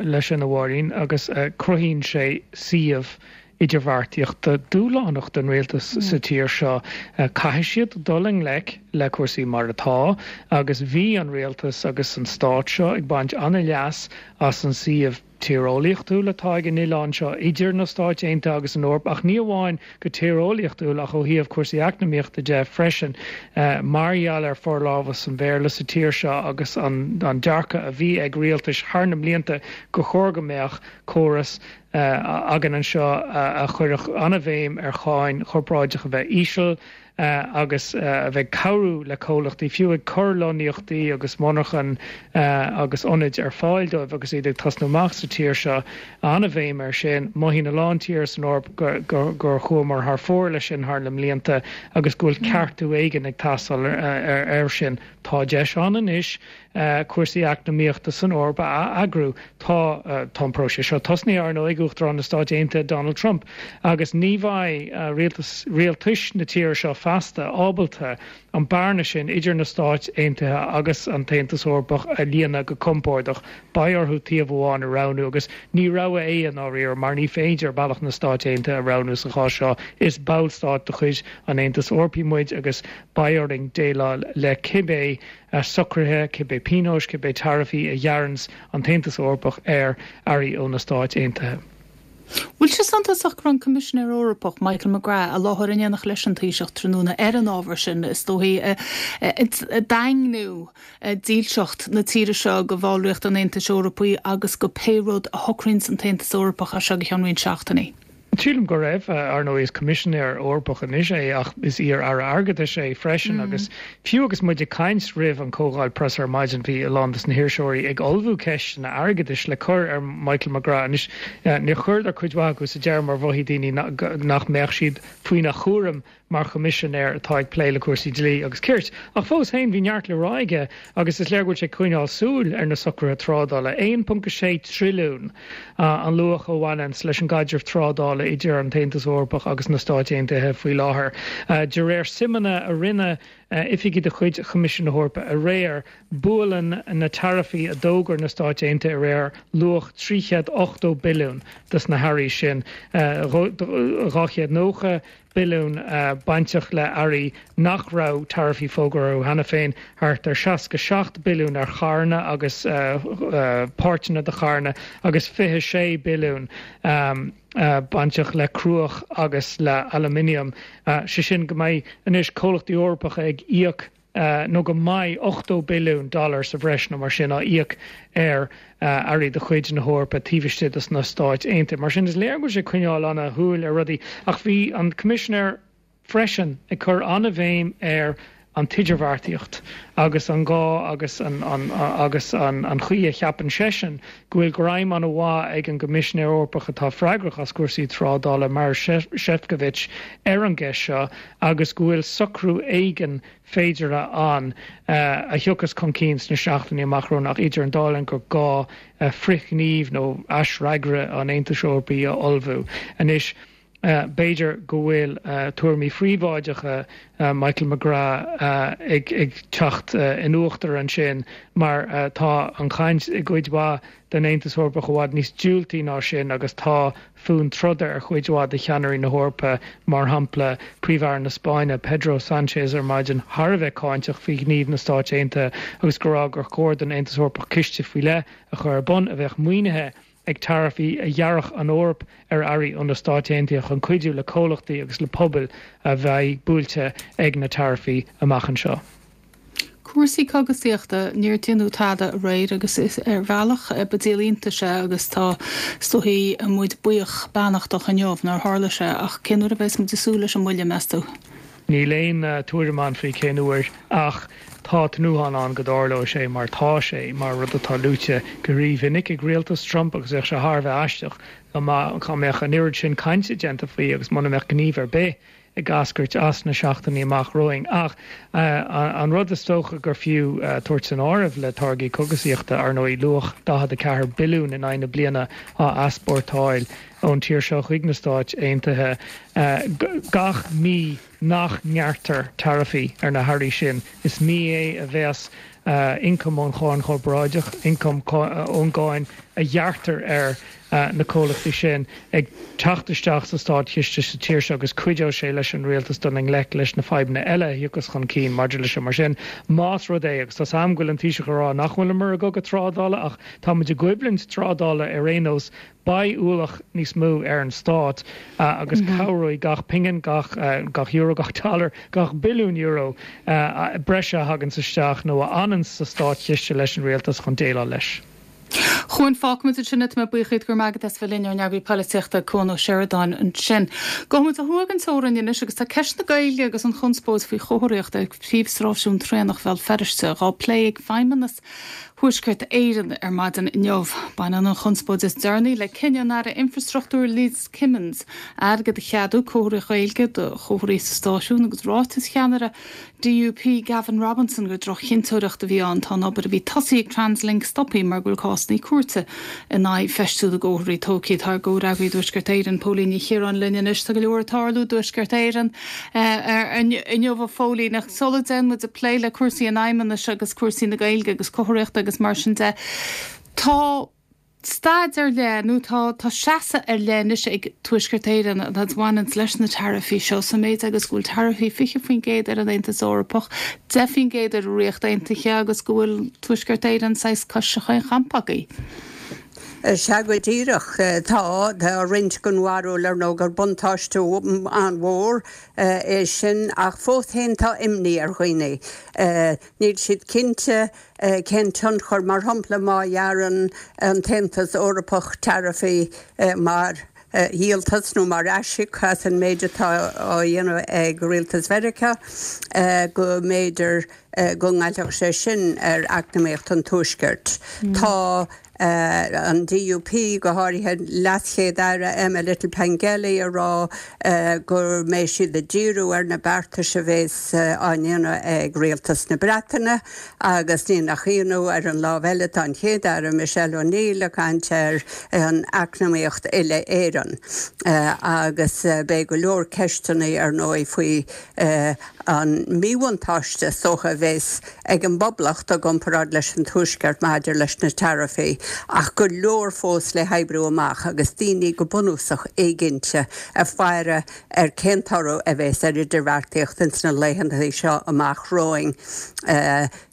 leis sin a Mháirín agus cruthaíonn sé suíomh idirbheartaíochta dúshlánach don rialtas sa tír seo. Caithfidh siad dul i ngleic le cúrsaí mar atá agus bhí an rialtas agus an stát seo ag baint an-leas as an suíomh tíreolaíochtúil atá ag an oileán seo idir na Stáit Aontaithe agus an Eoraip, ach ní amháin go tíreolaíochtúil ach ó thaobh cúrsaí eacnamaíochta de freisin, mar gheall ar forlámhas an Bhéarla sa tír seo agus an dearcadh a bhí ag rialtais thar na mblianta gur chóir go mbeadh córas againn anseo a chuirfeadh an-bhéim ar cháin chorparáideach a bheith íseal agus a bheith ag cabhrú le comhlachtaí, fiú ag cur lonnaíochtaí agus monarchan agus ionaid ar fáil dóibh agus iad ag tosnú amach sa tír seo. An-bhéim air sin. Mothaíonn a lán tír san Eoraip gur chuamar thar fóir leis sin thar na mblianta agus go bhfuil ceartú éigin ag teastáil air sin. Tá deis ann anois cúrsaí eacnamaíochta san Eoraip a eagrú. Tá tá an próiseas seo tosnaithe, ar ndóigh, ag Uachtarán na Stáit Aontaithe Donald Trump agus ní bheidh rialtas rialtais na tíre seo feasta ábalta an bearna sin idir na Stáit Aontaithe agus an tAontas Eorpach a líonadh go compordach. Beidh orthu taobh amháin a roghnú agus ní rogha é i ndáiríre mar ní féidir bealach na Stáit Aontaithe a roghnú sa chás seo. Is ballstát de chuid an Aontais Eorpaigh muid agus beidh orainn déileáil le cibé socruithe, cibé pionóis, cibé taraifí a ghearranns an tAontas Eorpach ar earraí ó na Stáit Aontaithe. Bhfuil sé suntasach go raibh an Coimisinéir Eorpach Michael McGrath i láthair in éineacht leis an Taoiseach tráthnóna ar an ábhar sin, is dóichí, ag daingniú dílseacht na tíre seo go bhallraíocht an Aontais Eorpaigh agus go pé rud a shocraíonns an tAontas Eorpach as seo go ceann roinnt seachtainí? Sílim go raibh. Ar ndóigh is Coimisinéir Eorpach anois é ach is iar-aire airgeadais é freisin agus fiú agus muid ag caint roimh an chomhdháil preasa ar maidin bhí a lán des na hiriseoirí ag ullmhú ceisteanna airgeadais le cur ar Michael McGrath. Anois níor chuireadar cuid mhaith acu sa deireadh mar mhothaigh daoine nach mbeadh siad faoina chúram mar choimisinéir atá ag plé le cúrsaí dlí agus cirt. Ach fós féin bhí neart le rá aige agus is léir go bhfuil sé ag coinneáil súil ar na socruithe trádála. aon ponc a sé trilliún an luach a bhaineanns leis an gcaidreamh trádála idir an tAontas Eorpach agus na Stáit Aontaithe faoi láthair. De réir suimeanna a rinne oifigigh de chuid Choimisiún na hEorpa aréir, buaileann na taraifí a d'fhógair na Stáit Aontaithe aréir luach trí chéad ochtó billiún dos na hearraí sin, dhá chéad nócha billiún bainteach le earraí nach raibh taraifí fógartha orthu cheana féin, thart ar seasca seacht billiún ar charranna agus páirteanna de charranna agus fiche sé billiún bainteach le cruach agus le aluminium. Sé sin go mbeidh anois comhlachtaí Eorpacha ag íoc nó go mbeidh ochtó billiún dollar sa bhreis nó mar sin á íoc ar earraí de chuid na hEorpa taobh istigh de na Stáit Aontaithe. Mar sin is léir go bhfuil sé ag coinneáil ana-shúil ar rudaí. Ach bhí an Coimisinéir freisin ag cur an-bhéim ar an t-idirbheartaíocht agus an gá agus an agus an an chaoi a cheapann seisean go bhfuil greim an-mhaith ag an gCoimisinéir Eorpach atá freagrach as cúrsaí trádála Maroš Šefčovič ar an gceist seo agus go bhfuil socrú éigin féideartha ann a thiocfas chun cinn sna seachtainí amach romhainn ach idir an dá linn gur gá frithghníomh nó aisfhreagra an Aontais Eorpaigh a ullmhú. Anois, B'fhéidir go bhfuil tuairimí phríobháideacha Michael McGrath ag teacht in uachtar ansin mar tá an chaint i gcuid mhaith den Aontas Eorpach i bhfad níos diúltaí ná sin agus tá fonn troda ar chuid mhaith de cheannairí na hEorpa, mar shampla Príomh-Aire na Spáinne, Pedro Sánchez ar maidin, thar a bheith cáinteach faoi ghníomh na Stáit Aontaithe agus ag rá gur chóir don Aontas Eorpach ciste faoi leith a chur ar bun a bheadh maoinithe ag taraifí a ghearrfadh an Eoraip ar earraí ó na Stáit Aontaithe chun cuidiú le comhlachtaí agus le pobail a bheidh buailte ag na taraifí amach anseo. Cúrsaí cogasaíochta, níor deineadh tada aréir agus is ar bhealach ba díol iontais é agus tá is dóichí muid buíoch beannachtach inniu nár tharla sé ach cén uair a bheas muid ag súil leis an mbuille, meas tú? Níl aon tuairim ann faoi cén uair ach tá tnúthán ann go dtarlóidh sé mar tá sé mar rud atá luaite go rímhinic ag rialtas Trump agus bheadh sé thar a bheith aisteach dá mbeadh an oiread sin cainte déanta faoi agus muna mbeadh gníomh ar bith ag eascairt as na seachtainí amach romhainn. Ach an rud is dócha gur fiú tabhairt san áireamh le táirgí cogasaíochta, ar ndóigh, luach daichead a ceathair billiún in aghaidh na bliana á easpórtáil ón tír seo chuig na Stáit Aontaithe gach mí nach ngearrtar taraifí ar na hearraí sin. Is mí é a bheas ioncam ón cháin chorparáideach, ioncam ón gcáin a ghearrtar ar na comhlachtaí sin, ag teacht isteach sa státchiste sa tír seo agus cuideoidh sé leis an rialtas dul i ngleic leis na fadhbanna eile a thiocfas chun cinn maidir leis seo. Mar sin, más rud é, agus tá 's a'm go bhfuil an Taoiseach ag rá nach bhfuileamar i gcogadh trádála ach tá muid i gcoimhlint trádála ar aon nós, beidh ualach níos mó ar an stát agus cabhróidh gach pingin, gach gach euro, gach dollar, gach billiún euro breise a thaganns isteach nó a fhananns sa státchiste leis an rialtas chun déileáil leis. Chuan, fágfaimid ansin é, tá mé buíoch díot, go raibh maith agat as bheith linn, ár n-eagraí polaitíochta Cuan Ó Seireadáin ansin. Gabhfaimid ó thuaidh den teorainn anois agus tá ceist na Gaeilge agus an chonspóid faoi chomharthaíocht ag príomhstráisiún traenach Bhéal Feirste dhá plé ag Feidhmeannas Thuaisceart Éireann ar maidin inniu. Baineann an chonspóid is deireanaí le cinneadh an Aire Infreastruchtúir Liz Kimmins airgead a cheadú comharthaíocht Ghaeilge do chomharthaí sa stáisiún agus ráiteas cheannaire DUP Gavin Robinson gur droch-chinnteoireacht a bhí ann. Tá an obair a bhí tosaithe ag Translink stoptha mar go bhfuil cásanna cúirte in aghaidh feistiú na gcomharthaí tógtha. Tá ár gcomhfhreagraí i dTuaisceart Éireann, Póilín Ní Chiaráin linn anois. Tá go leor ag tarlú i dTuaisceart Éireann inniu a Phóilín ach sula dtéann muid ag plé le cúrsaí an Fheidhmeannais agus cúrsaí na Gaeilge agus comharthaíochta agus mar sin de, tá staid ar leith nó tá tá seasamh ar leith anois ag Tuaisceart Éireann a bhaineanns leis na taraifí seo sa méid agus go bhfuil taraifí fiche faoin gcéad ar an Aontas Eorpach, deich faoin gcéad ar an Ríocht Aontaithe agus go bhfuil Tuaisceart Éireann saghas cois chaon champa agaibh. Sea go díreach. Tá, tá roinnt den bharúil ar ndóigh gur buntáiste an-mhór é sin ach fós féin tá imní ar dhaoine. Níl siad cinnte cén tionchar, mar shampla má ghearrann an tAontas Eorpach taraifí mar dhíoltas nó mar aisíoc as an méid atá á dhéanamh ag rialtas Mheiriceá, go mb'fhéidir go ngoillfeadh sé sin ar eacnamaíocht an Tuaiscirt. Tá an DUP, go háirithe LeasChéad-Aire Emma Little-Pengelly, ag rá go mbeidh siad ag díriú ar na beartais a bheas á ndéanamh ag rialtas na Breataine agus ní nach ionadh, ar an lámh eile tá an Chéad-Aire Michelle O'Neill ag caint ar an eacnamaíocht uile-Éireann agus beidh go leor ceisteanna ar ndóigh faoi an míbhuntáiste is dócha a bheas ag an bPoblacht i gcomparáid leis an Tuaisceart maidir leis na taraifí. ach go leor fós le hoibriú amach agus daoine go bunúsach éiginnte ag faire ar cén toradh a bheas ar idirbheartaíocht ins na laethanta seo amach romhainn,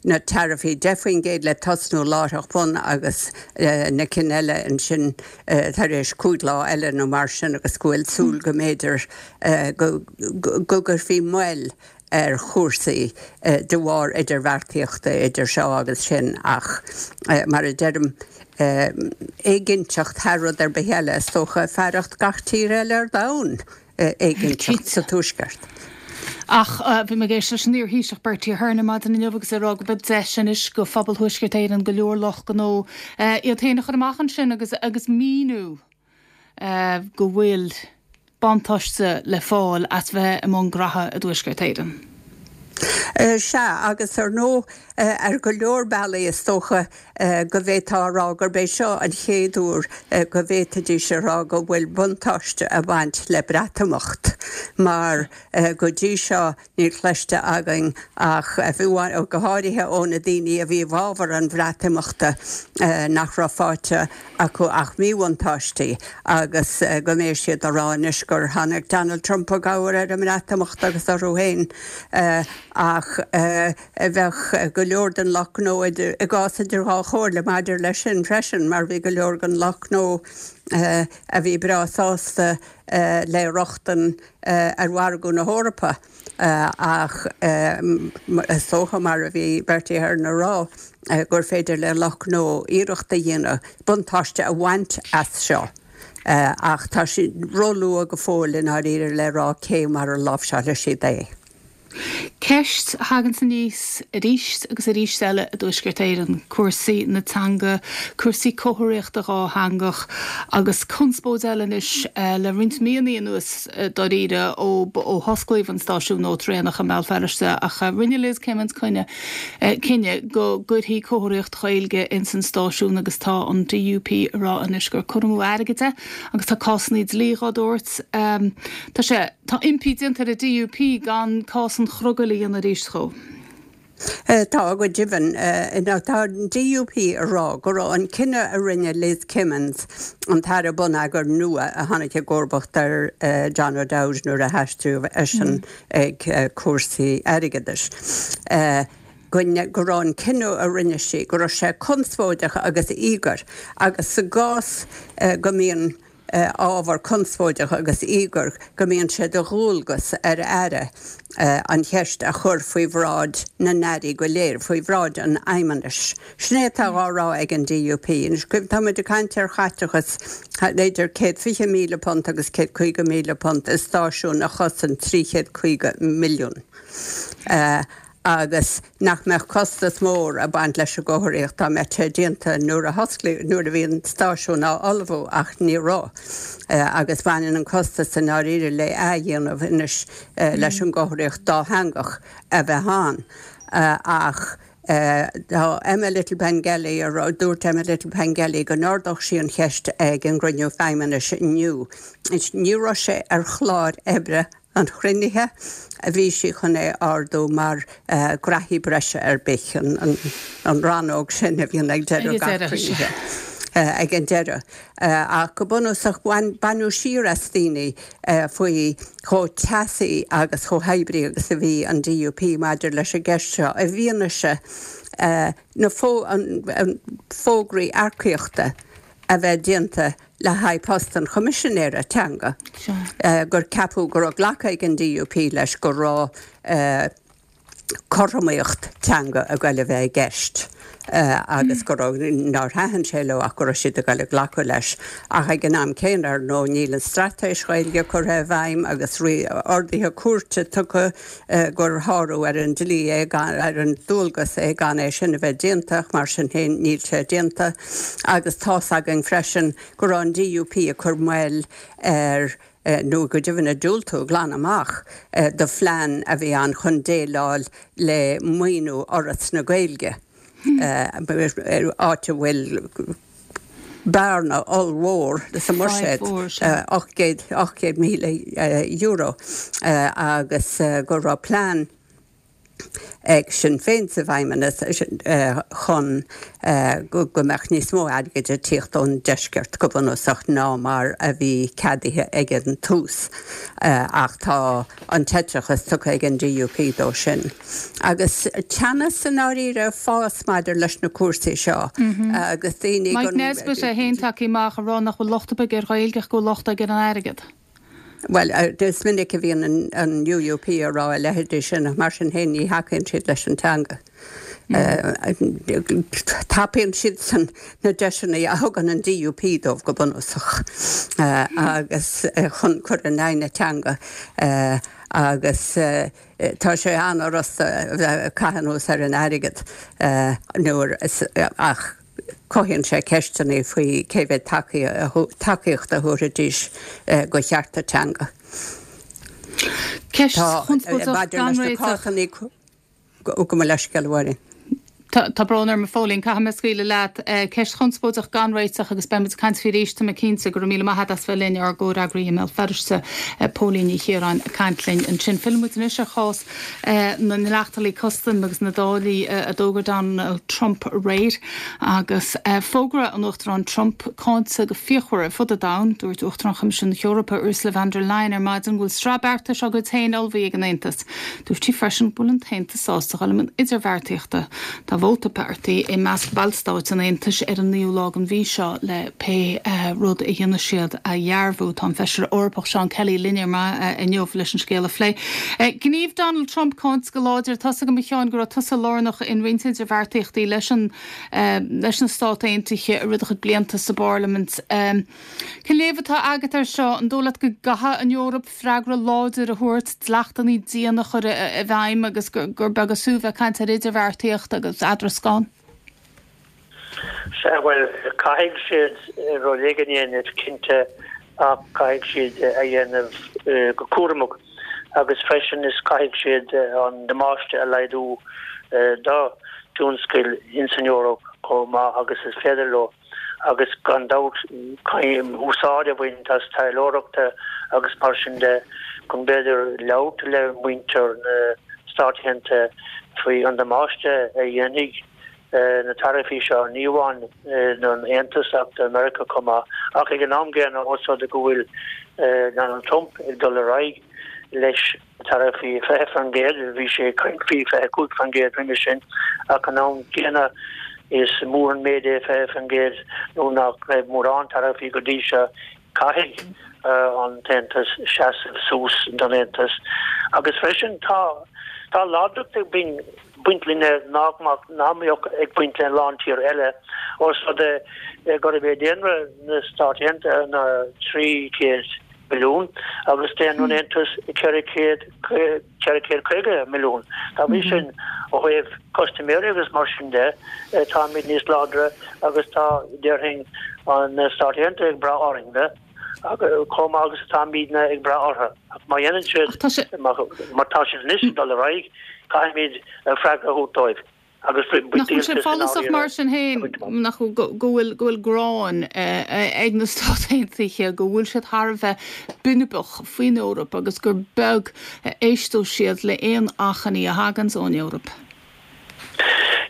na taraifí deich faoin gcéad le tosnú láithreach bonn agus na cinn eile ansin tar éis cúig lá eile nó mar sin agus go bhfuil súil go mb'fhéidir go gcuirfí moill ar chúrsaí de bharr idirbheartaíochta idir seo agus sin ach mar a deirim éiginnteacht thar rud ar bith eile is dócha fearacht gach tír eile ar domhan éiginnteacht sa Tuaisceart. Ach bhí mé ag éisteacht leis an iar-Thaoiseach Bertie Ahern ar maidin inniu agus é ag rá go mbeidh deis anois go phobal Thuaisceart Éireann go leor lucht gnó iad féin a chur amach ansin agus agus míniú go bhfuil buntáiste le fáil as bheith i mbun graithe i dTuaisceart Éireann. Sea, agus ar ndóigh, ar go leor bealaí is dócha go bhféadfá a rá gurb é seo an chéad uair go bhféadfaidís a rá go bhfuil buntáiste ag baint le Breatimeacht, mar go dtí seo níl cloiste againn ach, go háirithe ó na daoine a bhí i bhfabhar an Bhreatimeachta, nach raibh faighte acu ach míbhuntáistí agus go mbeidh siad ag rá anois gur tháinig Donald Trump i gcabhair ar an mBreatimeacht agus orthu féin ach bheadh go leor den lucht gnó i gcás idir dhá chomhairle maidir leis sin freisin mar bhí go leor den lucht gnó a bhí breá sásta le rochtain ar mhargadh na hEorpa ach is dócha, mar a bhí Bertie Ahern ag rá, gur féidir le lucht gnó iarracht a dhéanamh buntáiste a bhaint as seo ach tá sé róluath go fóill i ndáiríre le rá cé mar a láimhseálfaidh siad é. Ceist a thaganns aníos arís agus arís eile i dTuaisceart Éireann, cúrsaí na teanga, cúrsaí comharthaíochta dhátheangach agus conspóid eile anois le roinnt míonna anuas dáiríre ó ó hosclaíodh an stáisiún nua traenach i mBéal Feirste ach rinne Liz Kimmins coinne cinneadh go gcuirfí comharthaíocht Ghaeilge ins an stáisiún agus tá an DUP ag rá anois gur cur amú airgid é agus tá cásanna dlí dhá dtabhairt. Tá sé Tá impí déanta ar an DUP gan cás an chrogaill a dhéanamh arís dhó. Tá, go deimhin. Tá an DUP ag rá go raibh an cinneadh a rinne Liz Kimmins, an tAire Bonneagair nua a tháinig i gcomharbacht ar John O'Dowd nuair a haistríodh eisean ag cúrsaí airgeadais, go raibh an cinneadh a rinne sí, go raibh sé conspóideach agus íogair agus sa gcás go mbíonn ábhar conspóideach agus íogair go mbíonn sé de dhualgas ar Aire an cheist a chur faoi bhráid na n-airí go léir, faoi bhráid an Fheidhmeannais. Sin é atá á rá ag an DUP. Anois, tá muid ag caint ar chaiteachas idir céad fiche míle punt agus céad caoga míle punt i stáisiún a chosain trí chéad caoga milliún. agus nach mbeadh costas mór ag baint leis an gcomharthaíocht dá mbeadh sé déanta nuair a hosclaíodh, nuair a bhí an stáisiún á ullmhú ach ní raibh agus baineann an costas i ndáiríre le athdhéanamh anois leis an gcomharthaíocht dátheangach a bheith ann ach tá Emma Little-Pengelly a rá, dúirt Emma Little-Pengelly go n-ardódh sí an cheist ag an gcruinniú Feidhmeannais inniu. Ní raibh sé ar chlár oibre an chruinnithe, a bhí sí chun é a ardú mar graithí breise ar bith, an rannóg sin a bhíonn ag deireadh gach cruinnithe, ag an deireadh. Ach go bunúsach, baineadh siar as daoine faoi chomh teasaí agus chomh hoibrithe agus a bhí an DUP maidir leis an gceist seo i bhfianaise na fógraí earcaíochta a bheith déanta le haghaidh post an Choimisinéara Teanga, gur ceapadh go raibh glactha ag an DUP leis go raibh cothromaíocht teanga ag goil a bheith i gceist agus go raibh, nár thaitin sé leo ach go raibh siad ag goil a glacadh leis. Ach ag an am céanna, ar ndóigh, níl an straitéis Ghaeilge curtha i bhfeidhm agus orduithe cúirte tugtha gur shárú ar an dlí é, ar an dualgas é gan é sin a bheith déanta ach mar sin féin níl sé déanta agus tá's againn freisin go raibh an DUP ag cur moill ar, nó go deimhin ag diúltú glan amach do phlean a bhí ann chun déileáil le maoiniú Fhoras na Gaeilge, áit a bhfuil. bearna ollmhór sa mbuiséad, ocht gcéad míle euro, agus go raibh plean ag Sinn Féin sa bhFeidhmeannas chun go mbeadh níos mó airgid ag tíocht ón deisceart go bunúsach ná mar a bhí ceadaithe ag an tús ach tá an t-eiteachas tugtha ag an DUP dó sin. Agus teannas i ndáiríre ag fás maidir leis na cúrsaí seo agus daoine Mike Nesbitt é féin tagtha amach ag rá nach bhfuil locht ar bith ar Ghaeilge ach go bhfuil locht aige ar an airgead. Bhuel, is minic a bhíonn an UUP ag rá a leithéidí sin ach mar sin féin ní thacaíonn siad leis an teanga. Tapaíonn siadsan na deiseanna a thugann an DUP dóibh go bunúsach agus chun cur in aghaidh na teanga agus tá sé an-fhurasta a bheith ag caitheamh anuas ar an airgead nuair ach Cothaíonn sé ceisteanna faoi cé mhéad tacaíocht a thabharfaidís do chearta teanga. Ceist chonspóideach gan réiteach. Gabh mo leithscéal, a Mháirín. Tá brón orm, a Phóilín, caithfidh mé scaoileadh leat. Ceist chonspóideach gan réiteach agus beidh muid ag caint faoi arís, tá mé cinnte. Go raibh míle maith agat as bheith linn, ár gcomhfhreagraí i mBéal Feirste, Póilín Ní Chiaráin, ag caint linn ansin. Fillfidh muid anois ar chás na ndleachtanna custaim agus na dtáillí a d'fhógair Donald Trump aréir agus fógra an Uachtaráin Trump cáinte go fíochmhar ar fud an domhain. Dúirt Uachtarán Choimisiún na hEorpa Ursula von der Leyen ar maidin go bhfuil sraith beartais á gcuid féin ullmhaithe ag an Aontas. Dúirt sí freisin go bhfuil an tAontas sásta dul i mbun idirbheartaíochta. Tá vóta beartaithe i measc ballstáit an Aontais ar an naoú lá den mhí seo le pé rud a dhéanfaidh siad a dhearbhú. Tá an Feisire Eorpach Seán Kelly linn ar maidin inniu leis an scéal a phlé. Gníomh Donald Trump cáinte go láidir. Tá's agam a Sheáin go raibh tusa lárnach in roinnt idirbheartaíochtaí leis an leis na Stáit Aontaithe i rith do chuid blianta sa bParlaimint. Cén léamh atá agat air seo? An dóigh leat go gcaithfidh an Eoraip freagra láidir a thabhairt, dleachtanna diana a chur i bhfeidhm agus gur beag is fiú bheith ag caint ar idirbheartaíocht agus eadrascán? Sea, bhuel, caithfidh siad rud éigin a dhéanamh, cinnte, ach caithfidh siad a dhéanamh go cúramach agus freisin is caithfidh siad an damáiste a laghdú do thionscail ins an Eoraip chomh maith agus is féidir leo agus gan dabht caithfidh úsáid a bhaint as taidhleoireachta agus mar sin de chun b'fhéidir labhairt le muintir na Stát Aontaithe faoi an damáiste a dhéanfaidh na taraifí seo, ní amháin don Aontas ach do Mheiriceá chomh maith. Ach ag an am gcéanna, ós rud é go bhfuil Donald Trump ag dul ar aghaidh leis na taraifí fiche faoin gcéad, bhí sé ag caint faoi fiche cúig faoin gcéad roimhe sin, ach an am gcéanna is mór an méid é fiche faoin gcéad nuair nach raibh mórán taraifí go dtí seo. Caithfidh an tAontas seasamh suas don Aontas agus freisin tá tá láidreacht ag baint linne nach mbeadh ag baint le a lán tír eile ós rud é gurb é daonra na Stát Aontaithe ná trí chéad milliún agus daonra an Aontais ceithre chéad ceithre chéad caoga milliún. Dá bhrí sin, ó thaobh custaiméirí agus mar sin de, táimid níos láidre agus tá, déarfainn, na Stáit Aontaithe ag brath orainne chomh maith agus atáimidne ag brath orthu. Ach má dhéanann siad, mar tá siad anois ag dul ar aghaidh, caithfimid freagra a thabhairt dóibh. Agus Nach bhfuil sé follasach mar sin féin nach go bhfuil go bhfuil gráin ag na Stáit Aontaithe, go bhfuil siad thar a bheith binibeach faoin Eoraip agus gur beag a éisteodh siad le haon achainí a thaganns ón Eoraip?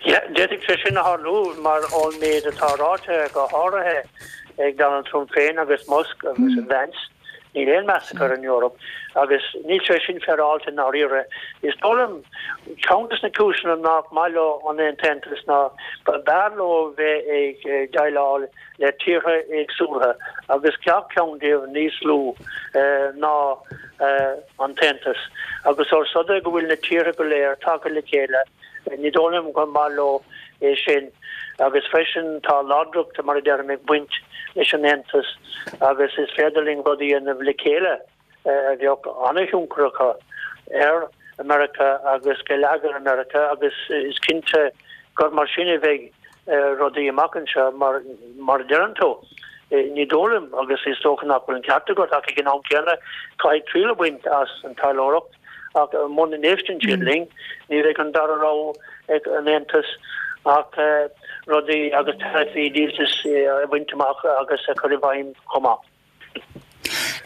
Yeah, d'fhéadfadh sé sin a tharlú mar ón méid atá ráite go háirithe ag Donald Trump féin agus Musk agus Vance. Níl aon meas acu ar an Eoraip agus níl sé sin féaráilte i ndáiríre. Is dóigh liom, ceann de na cúiseanna nach maith leo an tAontas ná b'fhearr leo bheith ag déileáil le tíortha éagsúla agus gach ceann díobh níos lú ná an tAontas. Agus ós rud é go bhfuil na tíortha go léir tagtha le chéile, Ní dóigh liom gur maith leo é sin agus freisin tá láidreacht, mar a deirim, ag baint leis an Aontas agus is féidir linn rud a dhéanamh le chéile a bheadh an-thionchar acu ar Mheiriceá agus geilleagar Mheiriceá agus is cinnte gur mar sin a bheidh rudaí amach anseo mar, mar a deireann tú, ní dóigh liom agus is dócha nach bhfuil an ceart agat ach ag an am céanna caithfidh triail a bhaint as an taidhleoireacht. Ach muna n-éisteann siad linn, ní bheidh an dara rogha ag an Aontas ach rudaí agus taraifí díoltais a bhaint amach agus a chur i bhfeidhm chomh maith.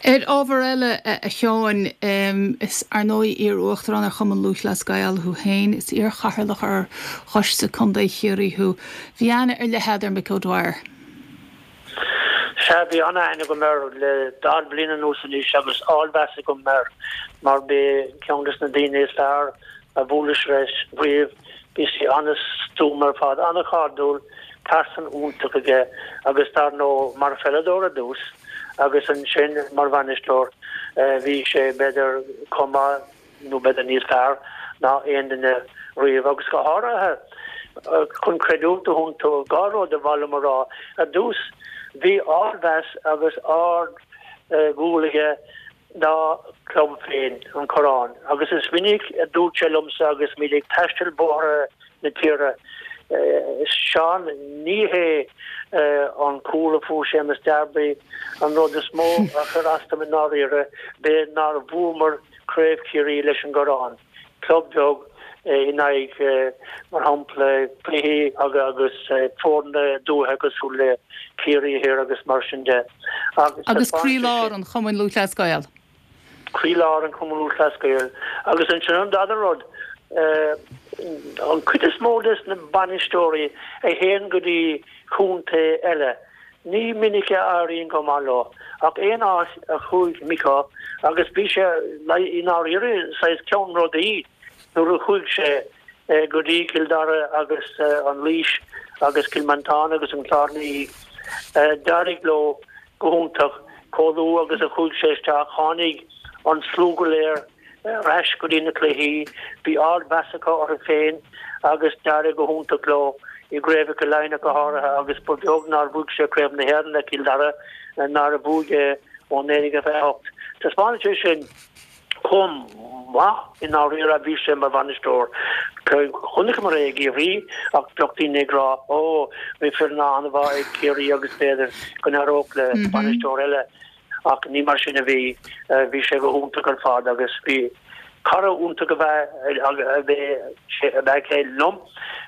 Ar ábhar eile a Sheáin, is ar ndóigh iar-uachtarán ar Chumann Lúthchleas Gael thú féin, is iar-chathaoirleach ar Choiste Contae Chiarraí thú. Bhí aithne ar leith agat ar Mick O'Dwyer. Sea, bhí an-aithne agam air le daichead bliain anuas anois agus ardmheas agam air mar b'é ceann des na daoine is fearr a bhuaileas leis riamh. Bhí sé an-stuama ar fad, an-chairdiúil, pearsan iontach aige agus dar ndóigh mar pheileadóir ar dtús agus ansin mar bhainisteoir bhí sé b'fhéidir chomh maith nó b'fhéidir níos fearr ná aon duine riamh agus go háirithe chun creidiúint a thabhairt dó, dhá rud ba mhaith liom a rá. Ar dtús bhí ardmheas agus ard-dhúil aige dá chlub féin, an Corrán, agus is minic a dúirt sé liomsa agus muid ag taisteal bóithre na tíre, Seán, ní hé an cúl a fuair Séamus Darby an rud is mó a chuir as dom i ndáiríre, b'é nár bhuamar Craobh Chiarraí leis an gCorrán. Club beag in aghaidh, mar shampla, cluichí agus foirne dúiche cosúil le Ciarraí Thiar agus mar sin de. Agus croílár an Chumainn Lúthchleas Gael. Croílár an Chumainn Lúthchleas Gael. Agus ansin an dara rud, an chuid is mó des na bainisteoirí a théann go dtí contae eile, ní minic a éiríonn go maith leo. Ach aon áit a chuaigh Micko, agus bhí sé i ndáiríre saghas ceannródaí nuair a chuaigh sé go dtí Cill Dara agus an Laois agus Cill Mhantáin agus an Clár ina dhiaidh, d'éirigh leo go hiontach. Chomh luath agus a chuaigh sé isteach tháinig an slua go léir ar ais go dtí na cluichí. Bhí ardmheas acu orthu féin agus d'éirigh go hiontach leo i gcraobhacha Laighean go háirithe agus ba bheag nár bhuaigh sé Craobh na hÉireann le Cill Dara nuair a bhuaigh é ó naoi déag fiche a hocht. Taispeánann sé sin chomh maith i ndáiríre a bhí sé mar bhainisteoir. Chonaiceamar é i gCiarraí ach bheadh daoine ag rá 'Ó, bhí foireann an-mhaith ag Ciarraí agus b'fhéidir go n-éireodh le bainisteoir eile'. Ach ní mar sin a bhí. Bhí sé go hiontach ar fad agus bhí cara iontach ab ea é liom.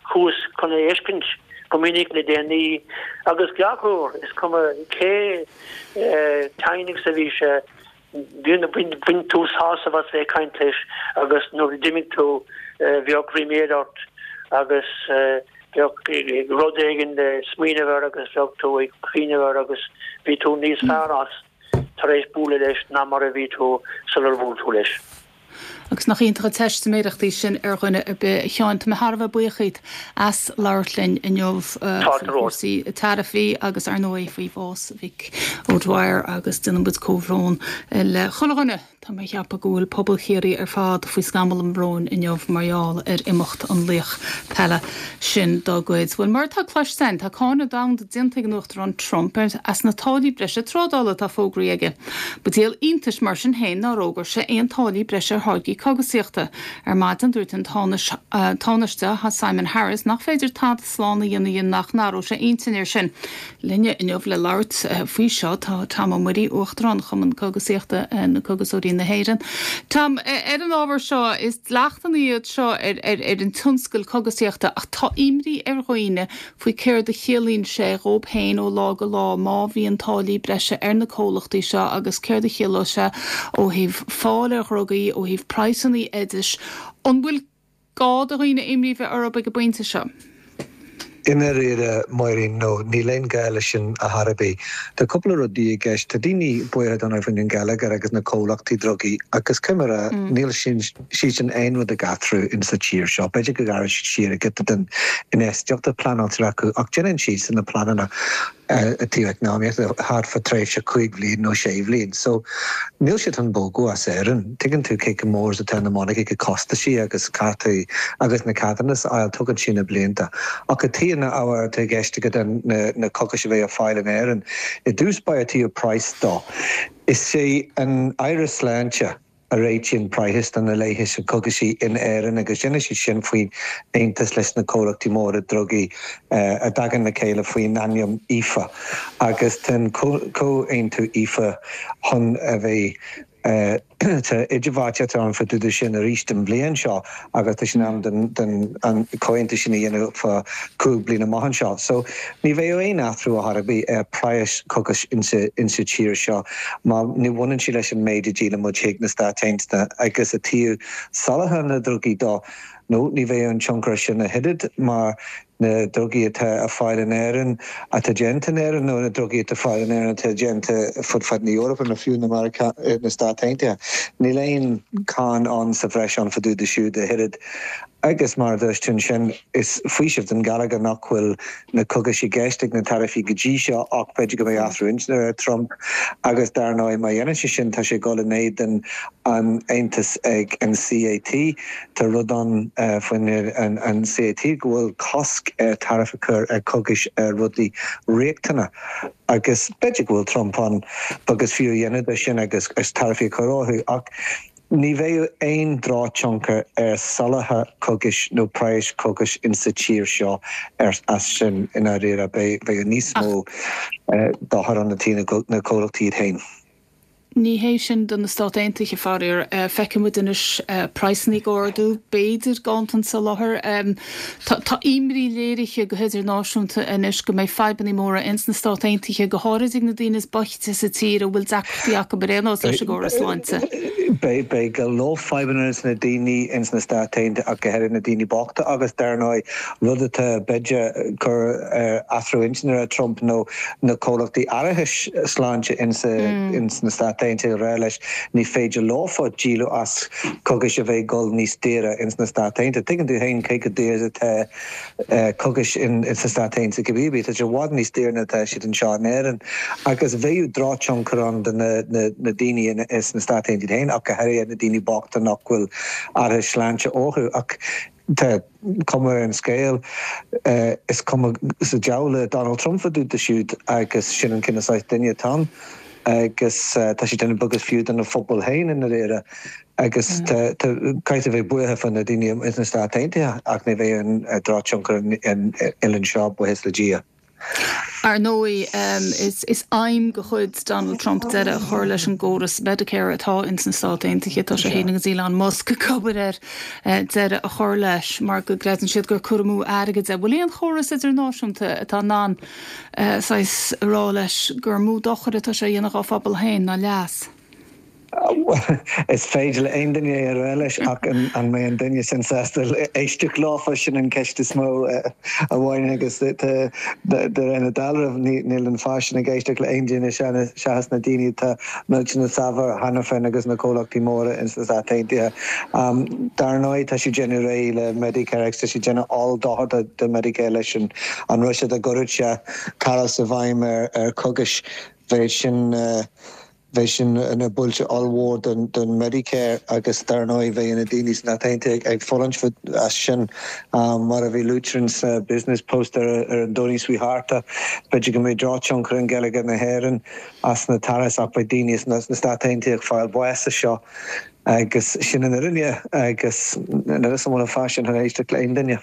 Chuas chun é a fheiscint go minic le déanaí agus gach uair, is cuma cé tinn agus a bhí sé, bhain tú sásamh as bheith ag caint leis agus nuair a d'imigh tú bheadh ríméad ort agus bheadh rud éigin le smaoineamh air agus bheadh tú ag cuimhneamh air agus bhí tú níos fearr as tar éis bualadh leis ná mar a bhí tú sular bhuail tú leis. Agus nach iontach an teistiméireacht í sin ar dhuine ar bith. A Sheáin, tá mé thar a bheith buíoch díot as labhairt linn inniu faoi chúrsaí taraifí agus ar ndóigh faoi bhás Mhick O'Dwyer agus déanann muid comhbhrón le chuile dhuine. Tá mé ag ceapadh go bhfuil pobal Chiarraí ar fad faoi scamall an bhróin inniu mar gheall ar imeacht an laoch peile sin dá gcuid. Bhuel, mar atá cloiste againn, tá cáineadh domhanda déanta ag an Uachtarán Trump as na táillí breise trádála atá fógraithe aige. Ba díol iontais mar sin féin nár fhógair sé aon táillí breise ar tháirgí cógaisíochta. Ar maidin dúirt an Tánaiste Simon Harris nach féidir tada slán a dhéanamh dhe nach n-athródh sé a intinn air sin. Linne inniu le labhairt faoi seo tá Tom Ó Muirí, Uachtarán Chumann Cógaisíochta na Cógaiseoirí na hÉireann. Tom, ar an ábhar seo, is dleachtanna iad seo ar ar an tionscal cógaisíochta ach tá imní ar dhaoine faoi céard a chiallaíonn sé dhóibh féin ó lá go lá má bhíonn táillí breise ar na comhlachtaí seo agus céard a chiallódh sé ó thaobh fáil ar dhrugaí, ó thaobh praghsanna oidis. An bhfuil gá do dhaoine imní bheith orthu ag an bpointe seo? I ndáiríre, Máirín, no, níl aon gá leis sin ar chor ar bith. Tá cúpla rudaí i gceist. Tá daoine buartha don faoin an geilleagar agus na comhlachtaí drugaí agus cimire níl sin siad sin aon rud ag athrú in sa tír seo. B'fhéidir go gcaithfidh siad siar ag den infheistíocht a pleanáiltear acu ach déanann siad sin na pleananna i dtaobh eacnamaíochta thart fá tréimhse cúig bhliain nó sé bhliain. So níl siad chun bogadh as Éirinn. Tuigeann tú cé chomh mór is atá na monarcha costaisí agus cártaí agus na ceadúnas a fháil, tugann sé na blianta. Ach i dtaobh na ábhair atá i gceist agat na na cógais a bheith ar fáil in Éirinn, i dtús báire taobh price dó. Is é an Aire Sláinte a réitíonn praghas do na leighis na cogaisí in Éirinn agus déanann siad sin faoin aontas leis na comhlachtaí móra drugaí a dtagann le chéile faoin ainm IFA agus tá an comhaontú IFA chun a bheith Tá idirbheartaíocht ann fá dtaobh de sin arís an bhliain seo agus tá sé in am den den an comhaontú sin a dhéanamh fá cúig bliana amach anseo. So ní bheidh aon athrú ar chor ar bith ar praghas cogais insa insa tír seo mar ní bhaineann sé leis an méid a dhíolann muid chuig na Stáit Aontaithe agus i dtaobh soláthar na drugaí dó nó ní bheidh an tionchar sin a thuilleadh mar na drugaí atá ar fáil in Éirinn atá déanta in Éirinn nó na drugaí atá ar fáil in Éirinn atá déanta fud fad na hEorpa nó fiú na Meiriceá na Stáit Aontaithe. Níl aon cáin ann sa bhreis ann fá dtaobh de siúd a thuilleadh. Agus mar a dúirt tú ansin, is faoiseamh don gheilleagar nach bhfuil na cogais i gceist ag na taraifí go dtí seo ach b'fhéidir go mbeidh athrú intinne ar Trump agus dar ndóigh má dhéanann sé sin tá sé ag dul in éadan an aontas ag an CAT. Tá rud ann faoin an CAT go bhfuil cosc ar tariff a chur ar chogais ar rudaí riachtanacha agus b'fhéidir go bhfuil Trump ann beag is fiú a dhéanamh de sin agus taraifí a chur orthu ach ní bheidh aon drochthionchar ar soláthar cogais nó praghas cogais insa tír seo as sin i ndáiríre. Beidh níos mó dochar ann do na comhlachtaí iad féin. Ní hé sin do na Stáit Aontaithe, faraor. Feicfidh muid anois praghsanna ag ardú, b'fhéidir ganntan soláthair. Tá imní léirithe go hidirnáisiúnta anois go mbeidh fadhbanna móra ins na Stáit Aontaithe, go háirid ag na daoine is boichte sa tír a bhfuil deacrachtaí acu ar aon nós leis an gcóras sláinte. Beidh, beidh go leor fadhbanna ins na daoine ins na Stáit Aontaithe ach go háirithe na daoine bochta agus dar ndóigh rud atá b'fhéidir cur ar athrú intinne ar Trump nó na comhlachtaí árachais sláinte ins ins na Stáit Aontaithe a rá leis ní féidir leofa díol as cogais a bheith ag dul níos daoire ins na Stáit Aontaithe. Tuigeann tú féin cé chomh daor is atá cogais ins na Stáit Aontaithe cibé ar bith, tá sé i bhfad níos daoire ná atá siad anseo in Éirinn agus bheadh drochthionchar ann do na daoine ins na Stáit Aontaithe féin ach go háirithe na daoine bochta nach bhfuil árachas sláinte orthu. Ach tá cuma ar an scéal, is cuma sa diabhal le Donald Trump fá dtaobh de siúd agus sin an cineál saghas duine atá ann agus tá sé ag déanamh beag is fiú dona phobal féin i ndáiríre agus caithfidh a bheith buartha fá na daoine ins na Stáit Aontaithe ach ní bheidh aon drochthionchar an oileán seo, buíochas le Dia. Ar ndóigh, is aidhm de chuid Donald Trump deireadh a chur leis an gcóras Medicare atá ins na Stáit Aontaithe. Tá sé féin agus Elon Musk ag obair ar deireadh a chur leis mar go gcreideann siad gur cur amú airgid é. Bhfuil aon chóras idirnáisiúnta atá in ann saghas a rá leis gur mó dochar atá sé a dhéanamh dá phobal féin ná leas? Is féidir le aon duine é a rá leis ach an mbeidh an duine sin sásta éisteacht leofa, sin an ceist is mó a bhaineann agus de réir na dealraimh níl an fear sin ag éisteacht le aon duine seachas na daoine atá millteanach saibhir cheana féin agus na comhlachtaí móra ins na Stáit Aontaithe. Dar ndóigh tá sé ag déanamh réidh le Medicare agus tá sé ag déanamh oll-dochar do Medicare leis an rud seo dá gcuirfeadh sé tariffs i bhfeidhm ar chogais bheadh sin Bheadh sin ina buille ollmhór don Medicare agus dar ndóigh bheadh na daoine sna Stáit Aontaithe ag fulaingt as sin. Mar a bhí luaite sa Business Post ar an Domhnach seo thart, b'fhéidir go mbeidh drochthionchar ar gheilleagar na hÉireann as na tariffs ach beidh daoine sna Stáit Aontaithe ag fáil bháis as seo agus sin an fhírinne agus níl a fhios agam an bhfuil an fear sin chun éisteacht le aon duine.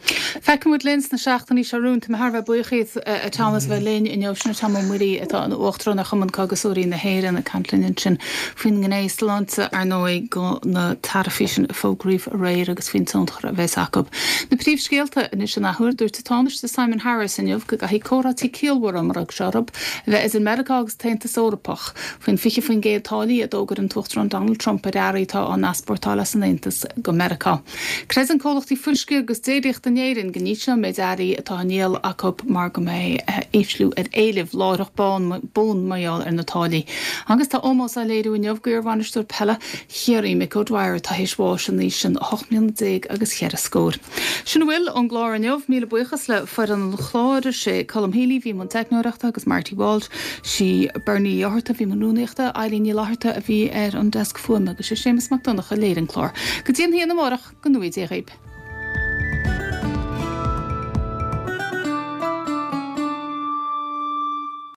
Feicfidh muid linn sna seachtainí seo romhainn. Tá mé thar a bheith buíoch díot, a Tom, as a bheith linn inniu. Sin Tom Ó Muirí atá ina Uachtarán ar Chumann Cógaiseoirí na hÉireann ag caint linn ansin faoin ngné sláinte, ar ndóigh, de na taraifí sin a fógraíodh aréir agus faoin tionchar a bheas acu. Na príomhscéalta anois an athuair. Dúirt an Tánaiste Simon Harris inniu go gcaithfidh comhráití ciallmhara, mar a thug sé orthu, a bheith idir Meiriceá agus an tAontas Eorpach faoin fiche faoin gcéad táillí a d'fhógair an tUachtarán Donald Trump ar earraí atá á n-easpórtáil as an Aontas go Meiriceá. Creideann comhlachtaí fuisce agus déiríochta in Éirinn go n-ísleoidh an méid earraí atá á ndíol acu mar go mbeidh ísliú ar éileamh láithreach bonn mar gheall ar na táillí. Agus tá ómós á léiriú inniu d'iarbhainisteoir peile Chiarraí, Mick O'Dwyer, atá théis bháis in aois an ocht mbliana déag agus cheithre scór. Sin a bhfuil ón gclár inniu. Míle buíochas le foireann an chláir, sé Colm Healy a bhí i mbun teicneoireachta agus Marty Walsh, sí Bernie Uí Fhátharta a bhí i mbun rúnaíochta, Eileen Ní Fhlatharta a bhí ar an deasc fuaime agus sé Séamus Mac Donncha a léirigh an clár. Go dtí an haon amárach, go ngnóthaí Dia dhaoib.